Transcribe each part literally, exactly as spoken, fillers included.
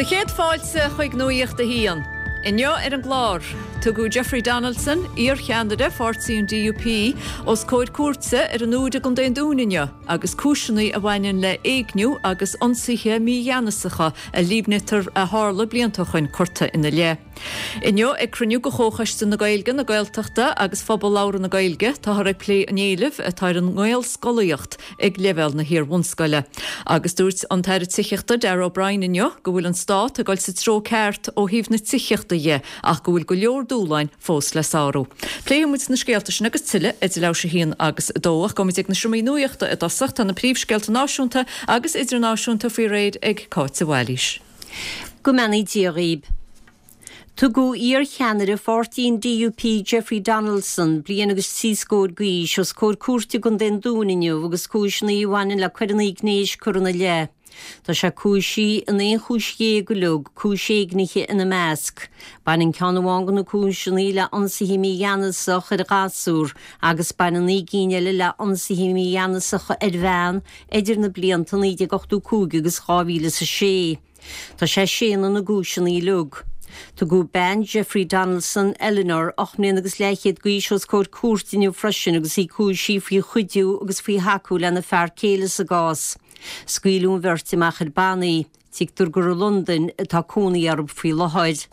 Do chéad fáilte chuig Nuacht a hAon. Inniu ar an gclár, tugadh Jeffrey Donaldson, iarcheannaire pháirtí an DUP, os comhair cúirte ar an Aird i gContae an Dúin inniu, agus cúiseanna a bhaineann le héigniú agus ionsaithe mígheanasacha a líomhnaítear a tharla blianta ó shin curtha ina leith. Inniu ag cruinniú de Chomhchoiste na Gaeilge na Gaeltachta agus Phobal Labhartha na Gaeilge táthar ag plé an éilimh atá ar an nGaelscolaíocht ag leibhéal na hiar-bhunscoile. Agus dúirt an tAire Tithíochta Darragh O'Brien inniu go bhfuil an stát ag dul sa treo ceart ó thaobh na tithíochta dhe ach go bhfuil go leor dúshláin fós le sárú. Pléifimid na scéalta sin agus tuilleadh idir leathuair tar éis a haon agus a dó ach gabhfaimid ag na seomraí nuachta i dtosach tá na príomhscéalta náisiúnta agus idirnáisiúnta faoi réir ag Cáit de Bhailís. Go mbeannaí Dia dhaoibh. Tugadh iarcheannaire pháirtí an DUP Jeffrey Donaldson bliain agus trí scór d'aois os comhair cúirte i gContae an Dúin inniu agus cúiseanna a bhaineann le coireanna gnéis curtha ina leith. Tá sé cúisithe in aon chúis dhéag uilig, cúis éignithe ina measc. Baineann ceann amháin de na cúiseanna le ionsaithe mígheanasach ar ghasúr agus baineann naoi gcinn eile le ionsaithe mígheanasacha ar bhean idir na blianta naoi déag ochtó cúig agus dhá mhíle is a sé. Tá sé ag séanadh na gcúiseanna uilig. Tugadh bean Jeffrey Donaldson Eleanor ocht mbliana agus leathchéad d'aois os comhair cúirte inniu freisin agus í cúisithe faoi chuidiú agus faoi thacú lena fear céile sa gcás. Scaoileadh an bheirt amach ar bannaí, Tuigtear gur i Londain atá cónaí orthu faoi láthair.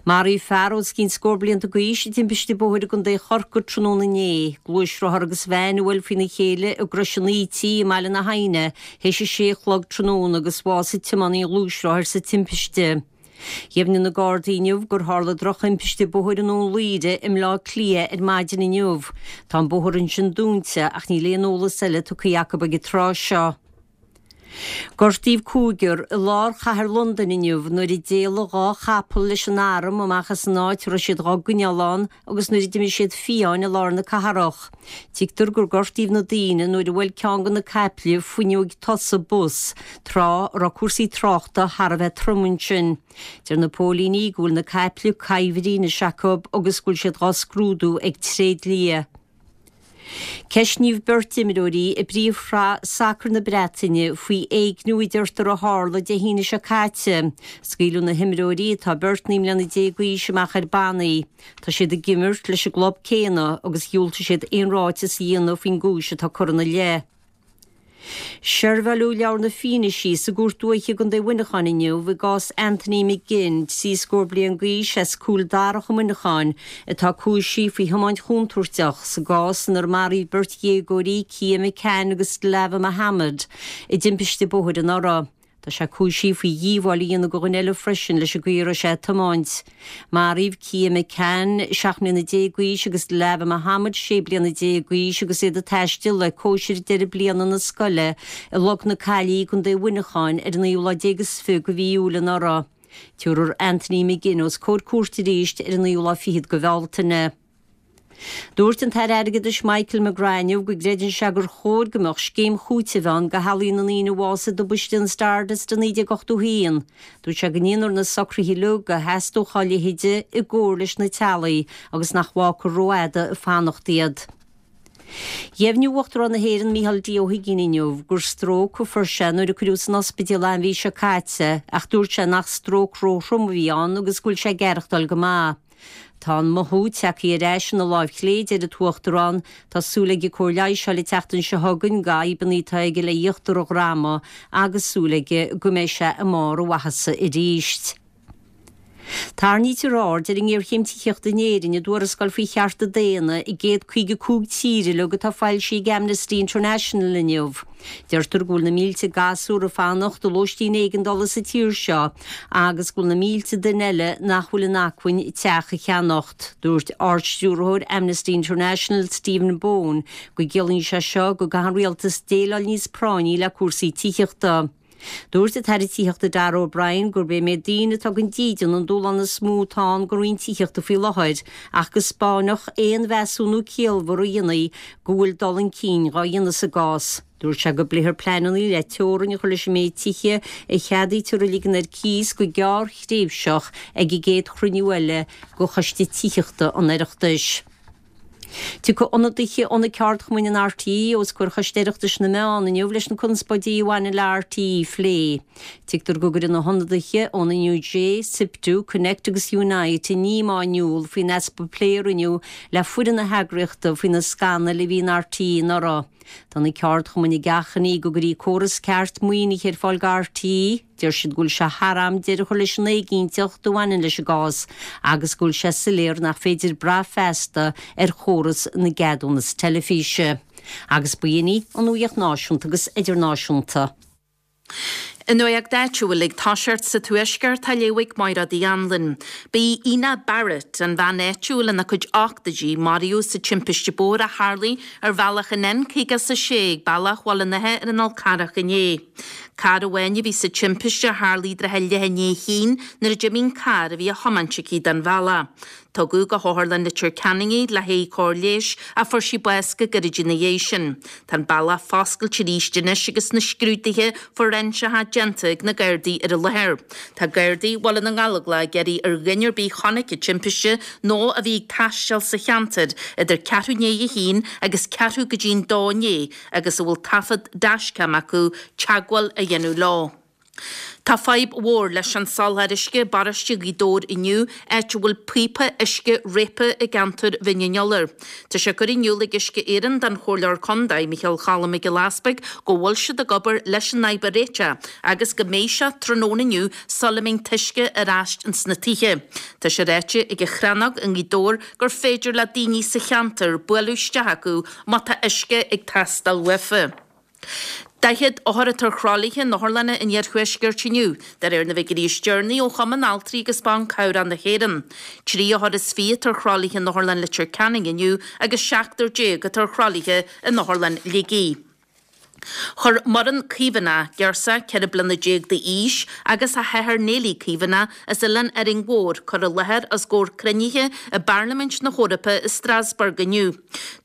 Maraíodh fear os cionn scór blianta d'aois i dtimpiste bóthair i gContae Chorcaí tráthnóna inné, gluaisrothar agus veain a bhuail faoina chéile i gCrois an Ítigh i mBaile na hAidhne théis a sé a chlog tráthnóna agus bhásaigh tiománaí an ghluaisrothair sa timpiste. Dheimhnigh na Gardaí inniu gur tharla drochthimpiste bóthair i nDún Laoghaire i mBleá Cliath ar maidin inniu. Tá an bóthar ansin dúnta ach níl aon eolas eile tugtha acu ag an tráth seo. Gortaíodh cúigear i lár chathair Londain inniu nuair a d'éalaigh dhá chapall leis an arm amach as an áit a raibh siad dhá gcoinneáil ann agus nuair a d'imigh siad fiáin i lár na cathrach. Tuigtear gur gortaíodh na daoine nuair a bhuail ceann de na caiple fuinneog tosaigh bus, tráth a raibh cúrsaí tráchta thar a bheith trom ansin. Deir na póilíní go bhfuil na caiple cuibhrithe anois acu agus go bhfuil siad dhá scrúdú ag tréidlia. Ceistníodh beirt imreoirí i bpríomhshraith sacair na Breataine faoi éigniú a deirtear a tharla Dé hAoine seo caite. Scaoileadh na himreoirí atá beirt naoi mbliana déag d'aois amach ar bannaí. Tá siad ag imirt leis an gclub céanna agus dhiúltaigh siad aon ráiteas a dhéanamh faoin gcúis atá curtha ina leith. Seirbheáladh leabhar na fianaise sa gCúirt Dúiche i gContae Mhuineacháin inniu i gcás Anthony McGinn, trí scór bliain d'aois as Cúil Darach i Muineachán, atá cúisithe faoi thiomáint chontúirteach sa gcás inar maraíodh beirt dhéagóirí, Kia McCann agus Dilawar Mohammed, i dtimpiste bóthair anuraidh. Tá sé cúisithe faoi dhíobháil a dhéanamh do dhuine eile freisin leis an gcaoi a raibh sé ag tiomáint. Maraíodh Kia McCann, seacht mbliana déag d'aois, agus Dilawar Mohammed, sé bliana déag d'aois, agus iad ag taisteal le cóisir deireadh bliana na scoile i Log na Caillí i gContae Mhuineacháin ar an naoú lá déag is fiche de mhí Iúil anuraidh. Tabharfar Anthony McGinn os comhair cúirte arís ar an naoú lá fichead de Bhealtaine. Dúirt an tAire Airgeadais Michael McGrath inniu go gcreideann sé gur chóir go mbeadh scéim chúitimh ann do theaghlaigh na ndaoine a bhásaigh i dtubaiste an Stardust i naoi déag ochtó a haon. Dúirt sé go ndéanfar na socruithe uilig a theastódh dá leithéide i gcomhar leis na teaghlaigh agus nach bhfágfar rófhada ag fanacht iad. Dheimhnigh Uachtarán na hÉireann Micheál D. Ó hUigínn inniu gur stróc a fuair sé nuair a cuireadh san ospidéal é an mhí seo caite ach dúirt sé nach stróc róthrom a bhí ann agus go bhfuil sé ag aireachtáil go maith. Tá an mothú tagtha ar ais ina láimh chlé, deir an tUachtarán. Tá súil aige cóir leighis a fháil an tseachtain seo chugainn do fhadhbanna atá aige le híochtar a dhroma agus súil aige go mbeidh sé i mbarr a mhaitheasa arís. Tarraingítear aird ar an ngéarchéim tithíochta in Éirinn i dtuarascáil faoi chearta daonna i gcéad caoga cúig tír uilig atá foilsithe ag Amnesty International inniu. Deirtear go bhfuil na mílte gasúr ag fanacht i lóistín éigeandála sa tír seo agus go bhfuil na mílte duine eile nach bhfuil in acmhainn teach a cheannacht. Dúirt Ard-Stiúrthóir Amnesty International Stephen Bone go gciallaíonn sé seo go gcaithfidh an rialtas déileáil níos práinní le cúrsaí tithíochta. Dúirt an tAire Tithíochta Darragh O'Brien gurb é an méid daoine atá gan dídean an dúshlán is mó atá ann don Roinn Tithíochta faoi láthair ach go 'spáinfeadh aon mheasúnú ciallmhar a dhéanfaí go bhfuil dul chun cinn dhá dhéanamh sa gcás. Dúirt sé go bpléifear pleananna le teorainn a chur leis an méid tithe a cheadaítear a ligean ar cíos go gearrthréimhseach ag an gcéad chruinniú eile de Choiste Tithíochta an Oireachtais. Tiocfaidh ionadaithe ó na ceardchumainn in RTÉ os comhair Choiste Oireachtais na Meán inniu leis na conspóidí a bhaineann le RTÉ a phlé. Tuigtear go gcuirfidh na hionadaithe ón NUJ, SIPTU, Connect agus Unite a ndíomá in iúl faoin easpa plé a rinneadh le foireann na heagraíochta faoi na scannail a bhí in RTÉ anuraidh. Tá na ceardchumainn ag achainí go gcuirfí córas ceart maoinithe ar fáil do RTÉ, deir siad go bhfuil sé thar am deireadh a chur leis an éiginnteacht a bhaineann leis an gcás agus go bhfuil sé soiléir nach féidir brath feasta ar chóras na gceadúnas teilifíse. Agus b'in í an nuacht náisiúnta agus idirnáisiúnta. An nuacht áitiúil ag toiseacht sa Tuaisceart á léamh ag Máire Uí Anluain. B'í Ina Barrett an bhean áitiúil ina cuid ochtóidí maraíodh sa timpiste bóthair a tharlaigh ar bhealach an N caoga is a sé ag bealach Bhaile an Átha ar an Fhál Carrach inné. Carr amháin a bhí sa timpiste a tharlaigh i dtrátha leath i ndiaidh a haon nuair a d'imigh an carr a bhí á thiomáint aici den bhealach. Tugadh go hOtharlann Leitir Ceanainn í le haghaidh cóir leighis ach fuair sí bás go gairid ina dhiaidh sin. Tá an bealach foscailte arís anois agus na scrúduithe fóiréinseacha déanta ag na Gardaí ar an láthair. Tá Gardaí Bhaile na nGallóglach ag iarraidh ar dhuine ar bith a chonaic an timpiste nó a bhí ag taisteal sa cheantar idir ceathrú i ndiaidh a haon agus ceathrú go dtí'n dó inné agus a bhfuil taifead dashcam acu teagmháil a dhéanamh leo. Tá fadhb mhór leis an soláthar uisce i bparóiste Ghaoth Dobhair inniu, áit a bhfuil píopa uisce réabtha i gceantar Bhinn an Iolair. Tá sé curtha in iúl ag Uisce Éireann don Chomhairleoir Contae, Micheál Cholm Mac Giolla Easpaig, go bhfuil siad ag obair leis an fhadhb a réiteach agus go mbeidh sé tráthnóna inniu sula mbeidh an t-uisce ar ais ins na tithe. Tá sé ráite ag an Chrannóg i nGaoth Dobhair gur féidir le daoine sa cheantar bualadh isteach acu má tá uisce ag teastáil uafa. Daichead othar atá ar thralaithe in otharlanna an iarthuaiscirt inniu, de réir na bhfigiúirí is deireanaí ó Chumann Altraí agus Ban Cabhrach na hÉireann. Trí othar is fiche atá ar thralaithe in Otharlann Leitir Ceanainn inniu agus seachtar déag atá ar thralaithe in Otharlann Shligigh. Chuir Muireann Caomhánach, girseach ceithre bliana déag d'aois, agus a hathair Neilí Caomhánach as Oileán Árainn Mhór cur i láthair os comhair cruinnithe i bParlaimint na hEorpa i Strasbourg inniu.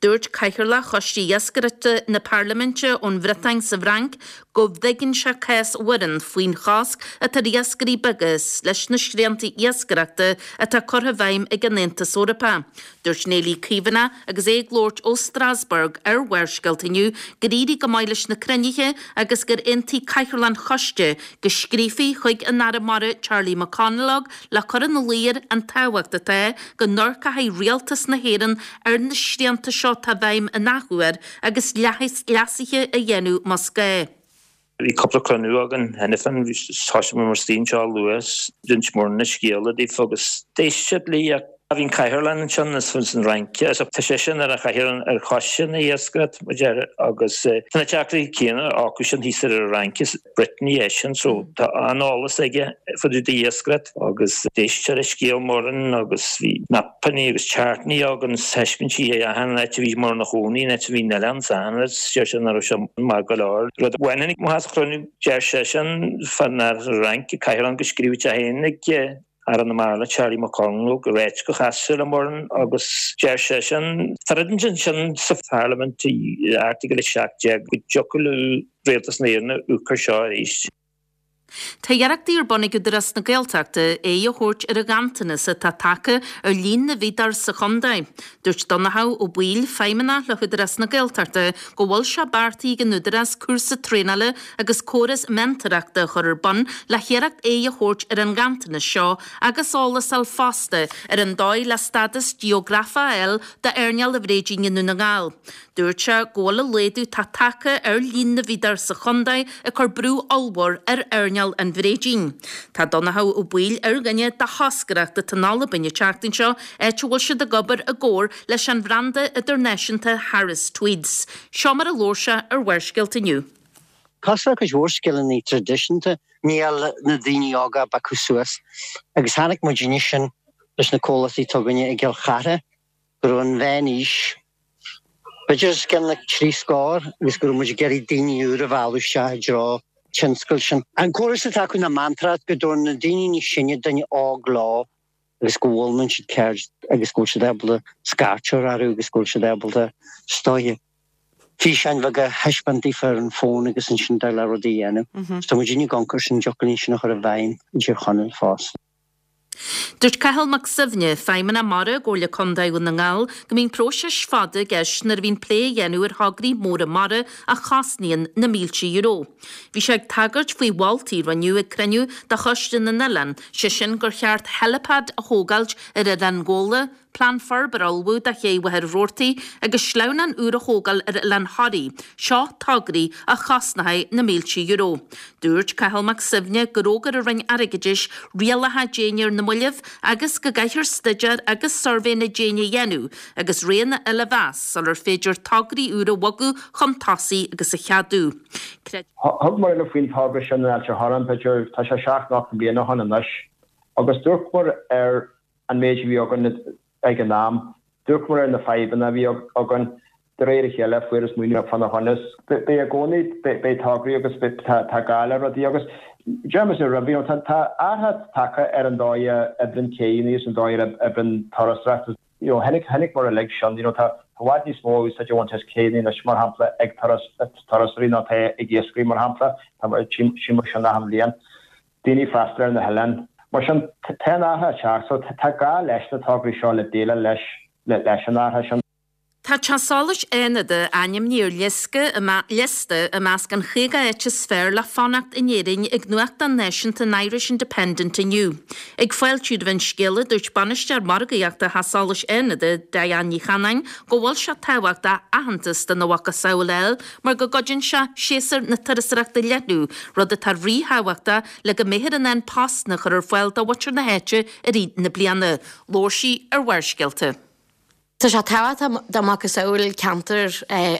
Dúirt Cathaoirleach Choiste Iascaireachta na Parlaiminte ón Bhriotáin sa bhFrainc go dtuigeann sé cás Mhuireann faoin chosc atá ar iascairí beaga leis na srianta iascaireachta atá curtha i bhfeidhm ag an Aontas Eorpach. Dúirt Neilí Caomhánach agus é ag labhairt ó Strasbourg ar Bharrscéalta inniu gur éirigh go maith leis na cruinnithe agus gur aontaigh Cathaoirleach an Choiste go scríofaí chuig an Aire Mara Charlie McConalogue le cur ina luí air an tábhacht atá go n-amharcfaidh Rialtas na hÉireann ar na srianta seo atá i bhfeidhm an athuair agus leasuithe a dhéanamh más gá. Bhí cúpla cruinniú againn cheana féin, thosaigh muid mar staon seo luath, d'inis Muireann an scéal daofa agus d'éist siad léi ach bhí an cathaoirleach ansin as an Fhrainc, tá seisean ar an chathaoir ar choiste na hiascaireachta, mar deir, agus tá na deacrachtaí céanna acu sin thíos ar an Fhrainc, is Brittany eisean so tá an-eolas aige fá dtaobh d'iascaireacht agus d'éist sé le scéal Muireann agus bhí mapanna agus chartanna againn is thaispeáin sí achan áit a bhí Muireann ina chónaí, an áit a bhí an oileán is achan rud, deir sé nach raibh sé maith go leor. Rud a bhaineann amach as an chruinniú, deir seisean, fán Fhrainc, cathaoirleach go scríobhadh sé féin ag Aire na Mara Charlie McConalogue ag ráit gur chas sé le Muireann agus deir seisean, tá rud ansin sa Pharlaimint i Airteagal a seacht déag go dtiocfadh le Rialtas na hÉireann amharc air seo arís. Tá iarrachtaí ar bun ag Údarás na Gaeltachta aghaidh a thabhairt ar an ghanntanas atá tagtha ar líon na bhfíodóirí sa chontae. Dúirt Donnchadh Ó Baoill, Feidhmeannach le hÚdarás na Gaeltachta, go bhfuil sé beartaithe ag an Údarás cúrsa traenála agus córas meantóireachta a chur ar bun le hiarracht aghaidh a thabhairt ar an ghanntanas seo agus eolas a fháil fosta ar an dóigh le stádas geografach a fháil d'earnáil an bhréidín i nDún na nGall. Dúirt sé go bhfuil an laghdú atá tagtha ar líon na bhfíodóirí sa chontae ag cur brú ollmhór ar earnáil an bhréidín. Tá Donnchadh Ó Baoill ar dhuine de thoscaireacht atá in Albain an tseachtain seo, áit a bhfuil siad ag obair i gcomhar leis an bhranda idirnáisiúnta Harris Tweeds. Seo mar a labhair sé ar Bharrscéalta inniu. Cosúil le cuid mhór scileanna traidisiúnta, níl na daoine óga ag piocadh suas. Agus chonaic muidinne sin leis na comhlachtaí atá againne i gCill Chartha, go raibh an mheán-aois b'fhéidir os cionn na trí scór agus go raibh muid ag iarraidh daoine úra a mhealladh isteach i dtreo tionscail sin. An córas atá acu ná meantóireacht, go dtabharann na daoine níos sine duine óg leo agus go bhfoghlaimíonn siad ceird agus go bhfuil siad ábalta scairteadh orthu agus go bhfuil siad ábalta is dóiche físeáin bheaga a thaispeáint daofa ar an bhfón agus ansin dul le rudaí a dhéanamh. So tá muidinne ag amharc air sin, dtiocfadh linn sin a chur i bhfeidhm i dTír Chonaill fosta. Dúirt Cathal Mac Suibhne, Feidhmeannach Mara i gComhairle Contae Dhún na nGall, go mbíonn próiseas fada i gceist nuair a bhíonn plé a dhéanamh ar thograí móra mara a chosnaíonn na mílte euro. Bhí sé ag tagairt faoi mholtaí a rinneadh ag cruinniú de Choiste na nOileán, sé sin gur cheart helipad a thógáilt ar Oileán Ghabhla, Plean forbartha a ullmhú do Ché Mhachaire Rabhartaigh agus sleamhnán úr a thógáil ar Oileán Thoraí, seo tograí a chosnóidh na mílte euro. Dúirt Cathal Mac Suibhne gur fhógair an Roinn Airgeadais rialacha déine ar na mallaibh agus go gcaithfear staidéar agus suirbhé na déine a dhéanamh agus roghanna eile a mheas sular féidir tograí úra a bhogadh chun tosaigh agus a cheadú. Thug muid faoin togra sin in Ailt an Chorráin, b'fhéidir, tá sé seacht nó ocht mbliana ó shin anois, agus d'amharcamar ar an méid a bhí againn ag an am, d'amharcamar ar na fadhbanna a bhí againn, de réir a chéile fuarthas maoiniú fána choinne. Beidh i gcónaí, beidh tograí agus tá gá le rudaí agus deir mise roimhe, you know, tá athrú tagtha ar an dóigh a oibríonn céanna agus an dóigh a oibríonn turasóireacht. You know, chonaic, chonaiceamar uilig sin, you know, tá i bhfad níos mó úsáid á bhaint as céanna anois mar shampla ag turas, turasóirí ná tá ag iascairí mar shampla, tá, tchí muid sin achan bhliain. Daoine ag freastal ar na hoileáin. Mar sin, tá an athrú ag teacht, so tá gá leis na tograí seo le déileáil leis leis an athrú sin. Tá Teach Solais Fhánada ainmnithe ar liosta i measc an chaoga áit is fearr le fanacht in Éirinn ag nuachtán náisiúnta an Irish Independent inniu. Ag fáiltiú roimh an scéala, dúirt bainisteoir margaíochta Theach Solais Fhánada, Diane Ní Chanáin, go bhfuil sé tábhachtach aitheantas dena mhacasamhail a fháil mar go gcuidíonn sé séasúr na turasóireachta a leathnú, rud atá ríthábhachtach le go mbeifear in ann postanna a chur ar fáil do mhuintir na háite i rith na bliana. Labhair sí ar Bharrscéalta. Tá sé tábhachtach do macasamhail ceantar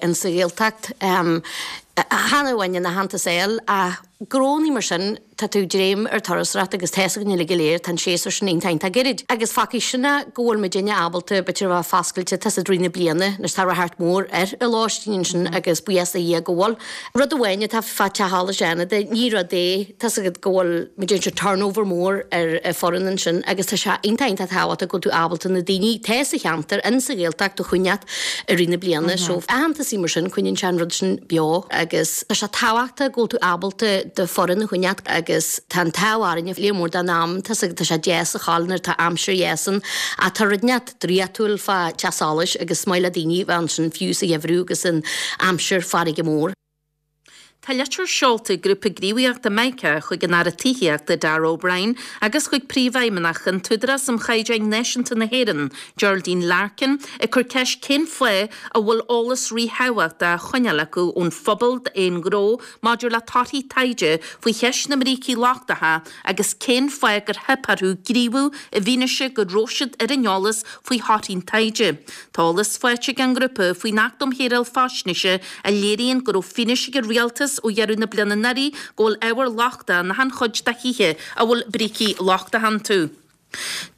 in sa Ghaeltacht. Chan amháin ina theannta saoil ach gnónnaí mar sin tá tú dréim ar turasóireacht agus tá a fhios againn uilig go léir tá an séasúr sin iontach iontach gairid. Agus fágfaidh sin go bhfuil muidinne ábalta b'fhéidir a bheith foscailte tá i rith na bliana anois tá radharc mór ar an lóistín ansin agus buíochas do Dhia go bhfuil. Rud amháin atá fá Teach Solais Fhánada ní rud é tá a fhios agat go bhfuil muid ag turnover mór ar foireann ansin agus tá sé iontach iontach tábhachtach go bhfuil tú ábalta na daoine atá sa cheantar in sa Ghaeltacht a choinneáil i rith na bliana. So aitheantas mar sin coinníonn sé an rud sin beo agus tá sé tábhachtach go bhfuil tú ábalta do fhoireann a choinneáil agus tá an t-ádh orainne léar mór den am tá tá sé deas a cháil nuair atá aimsir dheas ann ach tá rud inteacht draíochtúil fá Teach Solais agus is maith le daoine bheith ansin fiú sa gheimhreadh agus in aimsir farraige mór. Tá litir seolta ag grúpa gníomhaíochta Micah chuig an Aire Tithíochta Darragh O'Brien agus chuig Príomhfheidhmeannach an tÚdarás um Chaighdeáin Náisiúnta na hÉireann, Geraldine Larkin, ag cur ceist cén fáth a bhfuil eolas ríthábhachtach á choinneáil acu ón phobal d'aon ghnó maidir le torthaí taighde faoi cheist na mbrící lochtacha agus cén fáth gur theip orthu gníomhú i bhfianaise go raibh siad ar an eolas faoi thorthaí an taighde. Tá eolas faighte ag an ngrúpa faoin Acht um Shaoráil Faisnéise a léiríonn go raibh fianaise ag an rialtas ó dheireadh na bliana anuraidh go bhfuil ábhar lochtach in achan chuid de thithe a bhfuil brící lochtacha iontu.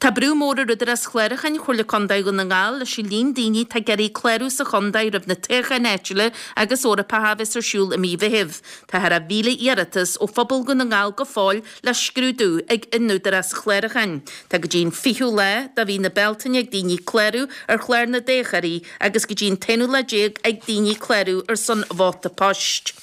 Tá brú mór ar Údarás Chlárúcháin Chomhairle Contae Dhún na nGall leis an líon daoine atá ag iarraidh clárú sa chontae roimh na toghcháin áitiúla agus Eorpacha a bheas ar siúl i mí Mheithimh. Tá thar a mhíle iarratas ó phobal Dhún na nGall go fóill le scrúdú ag an Údarás Chlárúcháin. Tá go dtí an fichiú lá de mhí na Bealtaine ag daoine clárú ar chlár na dtoghthóirí agus go dtí an t-aonú lá déag ag daoine clárú ar son vóta poist.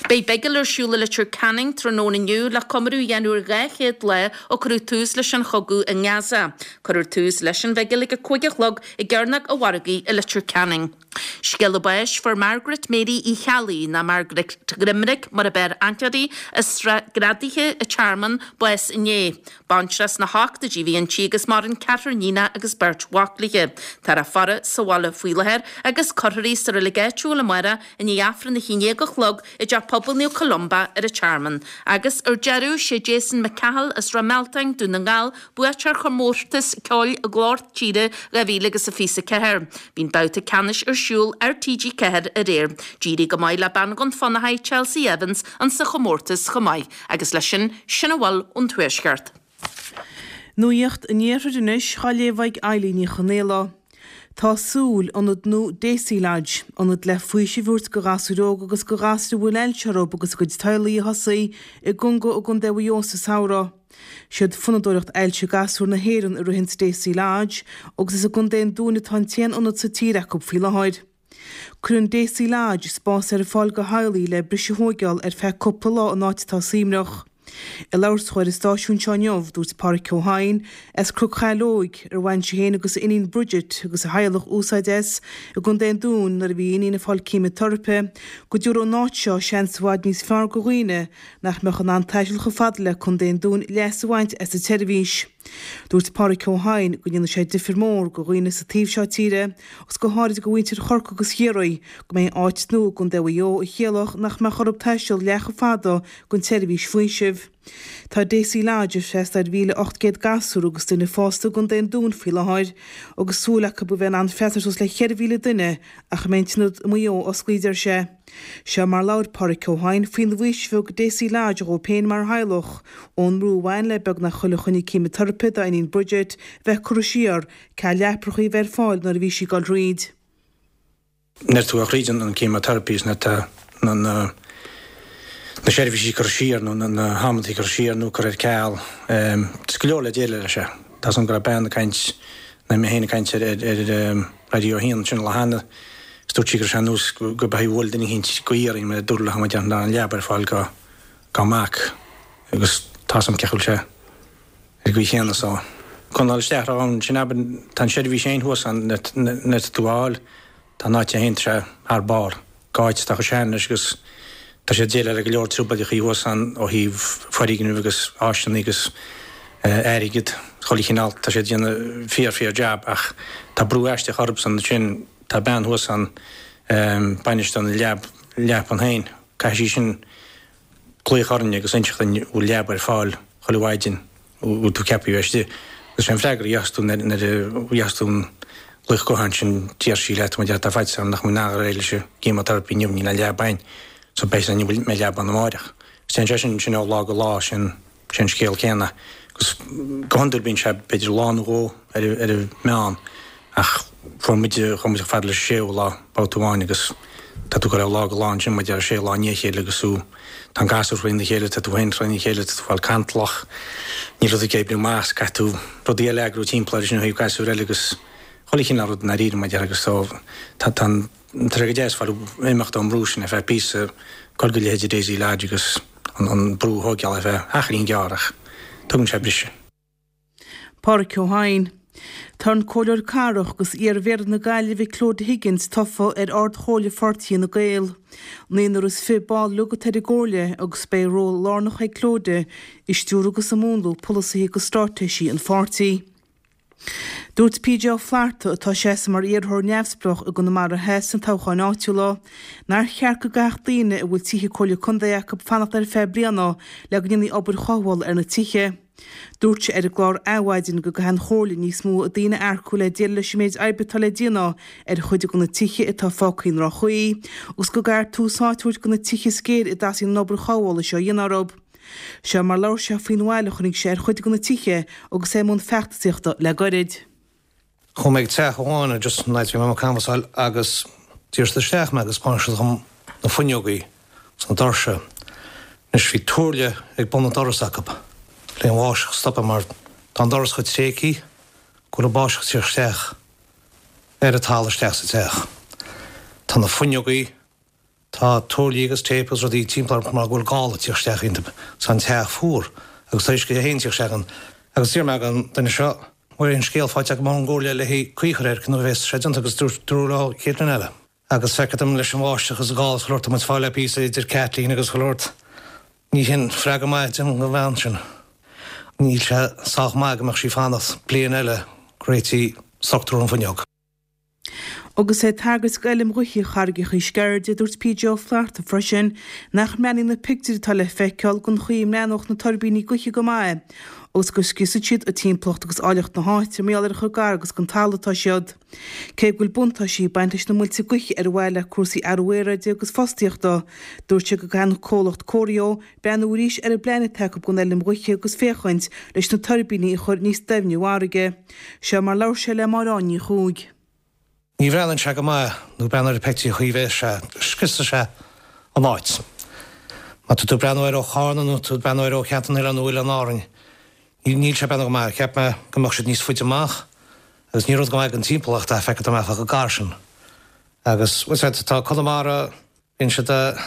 Beidh bigil ar siúl i Leitir Ceanainn tráthnóna inniu le comóradh a dhéanamh ar dhá chéad lá ó cuireadh tús leis an chogadh i nGaza. Cuirfear tús leis an bhigil ag a cúig a chlog i gCearnóg an Mhargaidh i Leitir Ceanainn. Scéala báis fuair Margaret Mary Uí Cheallaigh, nó Margaret Ghrimric mar ab fhearr aithne uirthi, as Srath Greadaithe an Tearmann, bás inné. Baintreach sna hochtóidí a bhí inti agus maireann ceathrar iníonacha agus beirt mhac léi. Táthar á faire sa bhaile faoi láthair agus cuirfear í sa reilig áitiúil amárach i ndiaidh Aifreann a haon déag a chlog i dTeach Pobail Naomh Columba ar an Tearmann. Agus ar deireadh, sé Jason McCahill as Ráth Mealtain, Dún na nGall, buaiteoir chomórtas ceoil Ghlór Tíre dhá mhíle agus a fiche a ceathair. Bhí an babhta ceannais ar siúl ar T G ceathair aréir. D'éirigh go maith le bean Dhún Fionnachaidh, Chelsea Evans, insa chomórtas chomh maith. Agus leis sin, sin a bhfuil ón Tuaisceart. Nuacht an Iarthair anois á léamh ag Eilín Ní Chonaola. Tá Súil, ionad nua Daisy Lodge, ionad le faoiseamh a thabhairt do ghasúir óga agus do ghasúir a bhfuil ailse orthu agus a gcuid teaghlaigh a thosaigh i gConga i gContae Mhaigh Eo sa samhradh. Siad Fondúireacht Ailse Gasúr na hÉireann a ritheann Daisy Lodge agus is i gContae an Dúin atá an t-aon ionad sa tír acu faoi láthair. Cuireann Daisy Lodge spás ar fáil do theaghlaigh le briseadh a thóigeáil ar feadh cúpla lá in áit atá suaimhneach. Ag labhairt dó ar an stáisiún seo inniu, dúirt Páraic Ó hEidhin, as Cnoc Shaileog, ar bhain sé féin agus a iníon Bridget agus a theaghlach úsáid as i gContae an Dúin nuair a bhí a iníon ag fáil ceimiteiripe, go dtabharfadh an áit seo seans i bhfad níos fearr do dhaoine nach mbeadh in ann taisteal chomh fada le Contae an Dúin leas a bhaint as an tseirbhís. Dúirt Páraic Ó hEidhin go ndéanfaidh sé difear mór do dhaoine sa taobh seo tíre agus go háirid do mhuintir Chorcaí agus Chiarraí go mbeidh áit nua i gContae Mhaigh Eo a chiallódh nach mbeadh orthu taisteal leath chomh fada don tseirbhís faoisimh. Tá Deasy Lodge ag freastal ar mhíle ocht gcéad gasúr agus duine fásta i gContae an Dúin faoi láthair agus súil acu a bheith in ann freastal ar suas le ceithre mhíle duine ach a mbeidh an t-ionad i Maigh Eo osclaí, deir sé. Seo mar labhair Páraic Ó hEidhin faoin bhfaoiseamh a thug Deasy Lodge dhóibh féin mar theaghlach, ón mbrú a bhain le beagnach chuile choinne ceimiteiripe dá iníon Bridget bheith curtha siar, ceal leaprachaí a bheith ar fáil nuair a bhí sí ag dul thríd. Nuair atá tú thríd an cheimiteiripe is nuair atá na na seirbhísí curtha siar nó na hamantaí curtha siar nó curtha ar ceal, tá go leor le déileáil leis. Tá 's agam go raibh bean ag caint, nó mé féin ag caint ar ar Raidió a haon ansin an lá cheana, Is dúirt sí go raibh sé ar nós go b'é bhuail duine eicínt gaoth orainn mar a dúradh le muid an leaba ar fáil dá dá mac agus tá 's agam cé bhfuil sé ar an gcaoi chéanna so. Coinneáil isteach ann sin abair tá an seirbhís féin thuas ann nuair atá tú á fháil tá an áit féin tá sé thar barr. Go áit atá chomh sean leis agus tá sé ag déileáil le go leor trioblóideachaí thuas ann ó thaobh foirgnimh agus áiseanna agus airgead chuile chineál. Tá sé ag déanamh fíor fíor jab ach tá brú aisteach orthusan ansin. Tá bean thuas ann, bainisteoir na leab, leapan féin. Caithfidh sí sin glaoch orainn agus inseacht dúinn an bhfuil leaba ar fáil chuile mhaidin, an bhfuil tú ceaptha a bheith istigh. Agus sé an freagra a gheobhas tú nuair a gheobhas tú an glaoch gutháin sin, deir sí leat, má tá faitíos orm nach mbeidh in ann dul ar aghaidh leis an gceimiteiripe inniu, níl aon leaba ann. So beidh san inniu, mbeidh leaba ann amáireach. Agus téann sé sin, sin ó lá go lá, sin, sin an scéal céanna. Agus go hiondúil bíonn sé b'fhéidir lá nó dhó ar ar an meán ach fuair muid, chuaigh muid chomh fada leis an séú lá babhta amháin agus tá tú ag dul ó lá go lá ansin muid ar sé lá i ndiaidh a chéile agus tú, tá an gasúr thrína chéile, tá tú féin trína chéile, tá tú ag fáil cantalach, níl rud ag oibriú amach, caithfidh tú rudaí eile a eagrú timpeall air sin ó thaobh gasúir eile agus chuile chineál rud i ndáiríre muid agus so tá tá an tá sé go deas fáil imeacht ón mbrú sin ar feadh píosa, dul go leithéidí Daisy Lodge agus an an brú a thóigeáil ar feadh achainín gearr ach tugann sé briseadh. Páraic Ó hEidhin. Tá an Comhairleoir Cathrach agus iar-Mhéara na Gaillimhe Clodagh Higgins tofa ar Ard-Chomhairle Pháirtí Fhine Gael. Naonúr is fiche ball uilig atá ar an gComhairle agus beidh ról lárnach ag Clodagh i stiúradh agus i múnlú polasaithe agus straitéisí an pháirtí. Dúirt PJ Ó Flatharta, atá ag seasamh mar iarrthóir neamhspleách i gConamara Theas sna toghcháin áitiúla, nár cheart go gcaithfeadh daoine a bhfuil tithe Comhairle Contae acu fanacht ar feadh bliana le go ndéanfaí obair chothabhála ar na tithe. Dúirt sé ar an gclár Adhmhaidin go gcaithfidh an Chomhairle níos mó daoine a earcú le déileáil leis an méid oibre atá le déanamh ar chuid de na tithe atá fágtha i ndroch-chaoi agus go gcaithfear tús áite a thabhairt do na tithe is géire a dteastaíonn an obair chothabhála seo a dhéanamh orthu. Seo mar labhair sé faoin mhoill a choinnigh sé ar chuid de na tithe agus é i mbun feachtasaíochta le goirid. Chuaigh mé ag teach amháin just an áit a bhí mé ag canbhasáil agus d'iarr siad isteach mé agus thaispeáin siad dhom na fuinneogaí agus na doirse. Anois bhí tuairle ag bun an doras acu le an bháisteach a stopadh mar tá an doras chomh tréigthe go bhfuil an bháisteach ag tíocht isteach ar an talamh isteach sa teach. Tá na fuinneogaí Tá tuairlí agus téip agus rudaí timpeall orthu mar go bhfuil gála ag tíocht isteach iontu. Tá an teach fuar agus tá uisce é féin ag tíocht isteach ann. Agus d'iarr mé den duine seo, an bhfuil aon scéal faighte agam ón gcomhairle le haghaidh caoi a chur air nuair a bheas sé déanta agus dúirt dúradh leo chéad bhliain eile. Agus feictear dom leis an bháisteach agus an gála is chuile shórt tá muid ag fáil le píosa idir Kathleen agus chuile shórt. Ní hin freagra maith don bhean sin. Níl sé sách maith go mbeadh sí ag fanacht bliain eile go réití struchtúr an fuinneog. Agus é ag tagairt d'fheilm ghaoithe Charraigeacha Sceirde, dúirt PJ Ó Flatharta freisin nach mbreathnaíonn na pictiúirí atá le feiceáil den chaoi a mbreathnódh na tuirbíní gaoithe go maith agus go scriosfaidh siad an timpeallacht agus áilleacht na háite mar gheall ar chomh gar agus don talamh atá siad. Cé go bhfuil buntáistí ag baint leis na muilte gaoithe ar mhaithe le cúrsaí athrú aeráide agus fostaíochta, dúirt sé go gcaithfidh an comhlacht Corio breathnú arís ar an bplean atá acu don fheilm ghaoithe agus féachaint leis na tuirbíní a chur níos doimhne i bhfarraige. Seo mar labhair sé le Máire Áine Ní Chuaig. Ní bhreathnaíonn sé go maith nó breathnaigh ar an pictiúr chaoi bheas sé, scriosfaidh sé an áit. Má tá tú ag breathnú air ó Charna nó tú ag breathnú air ó Cheantar na nOileán nó Oileáin Árainn, níl sé ag breathnú go maith. Cheap mé go mbeadh siad níos faide amach agus ní rud go maith don timpeallacht é, feictear dom chomh gar sin. Agus, bhuel, tá Conamara, bíonn siad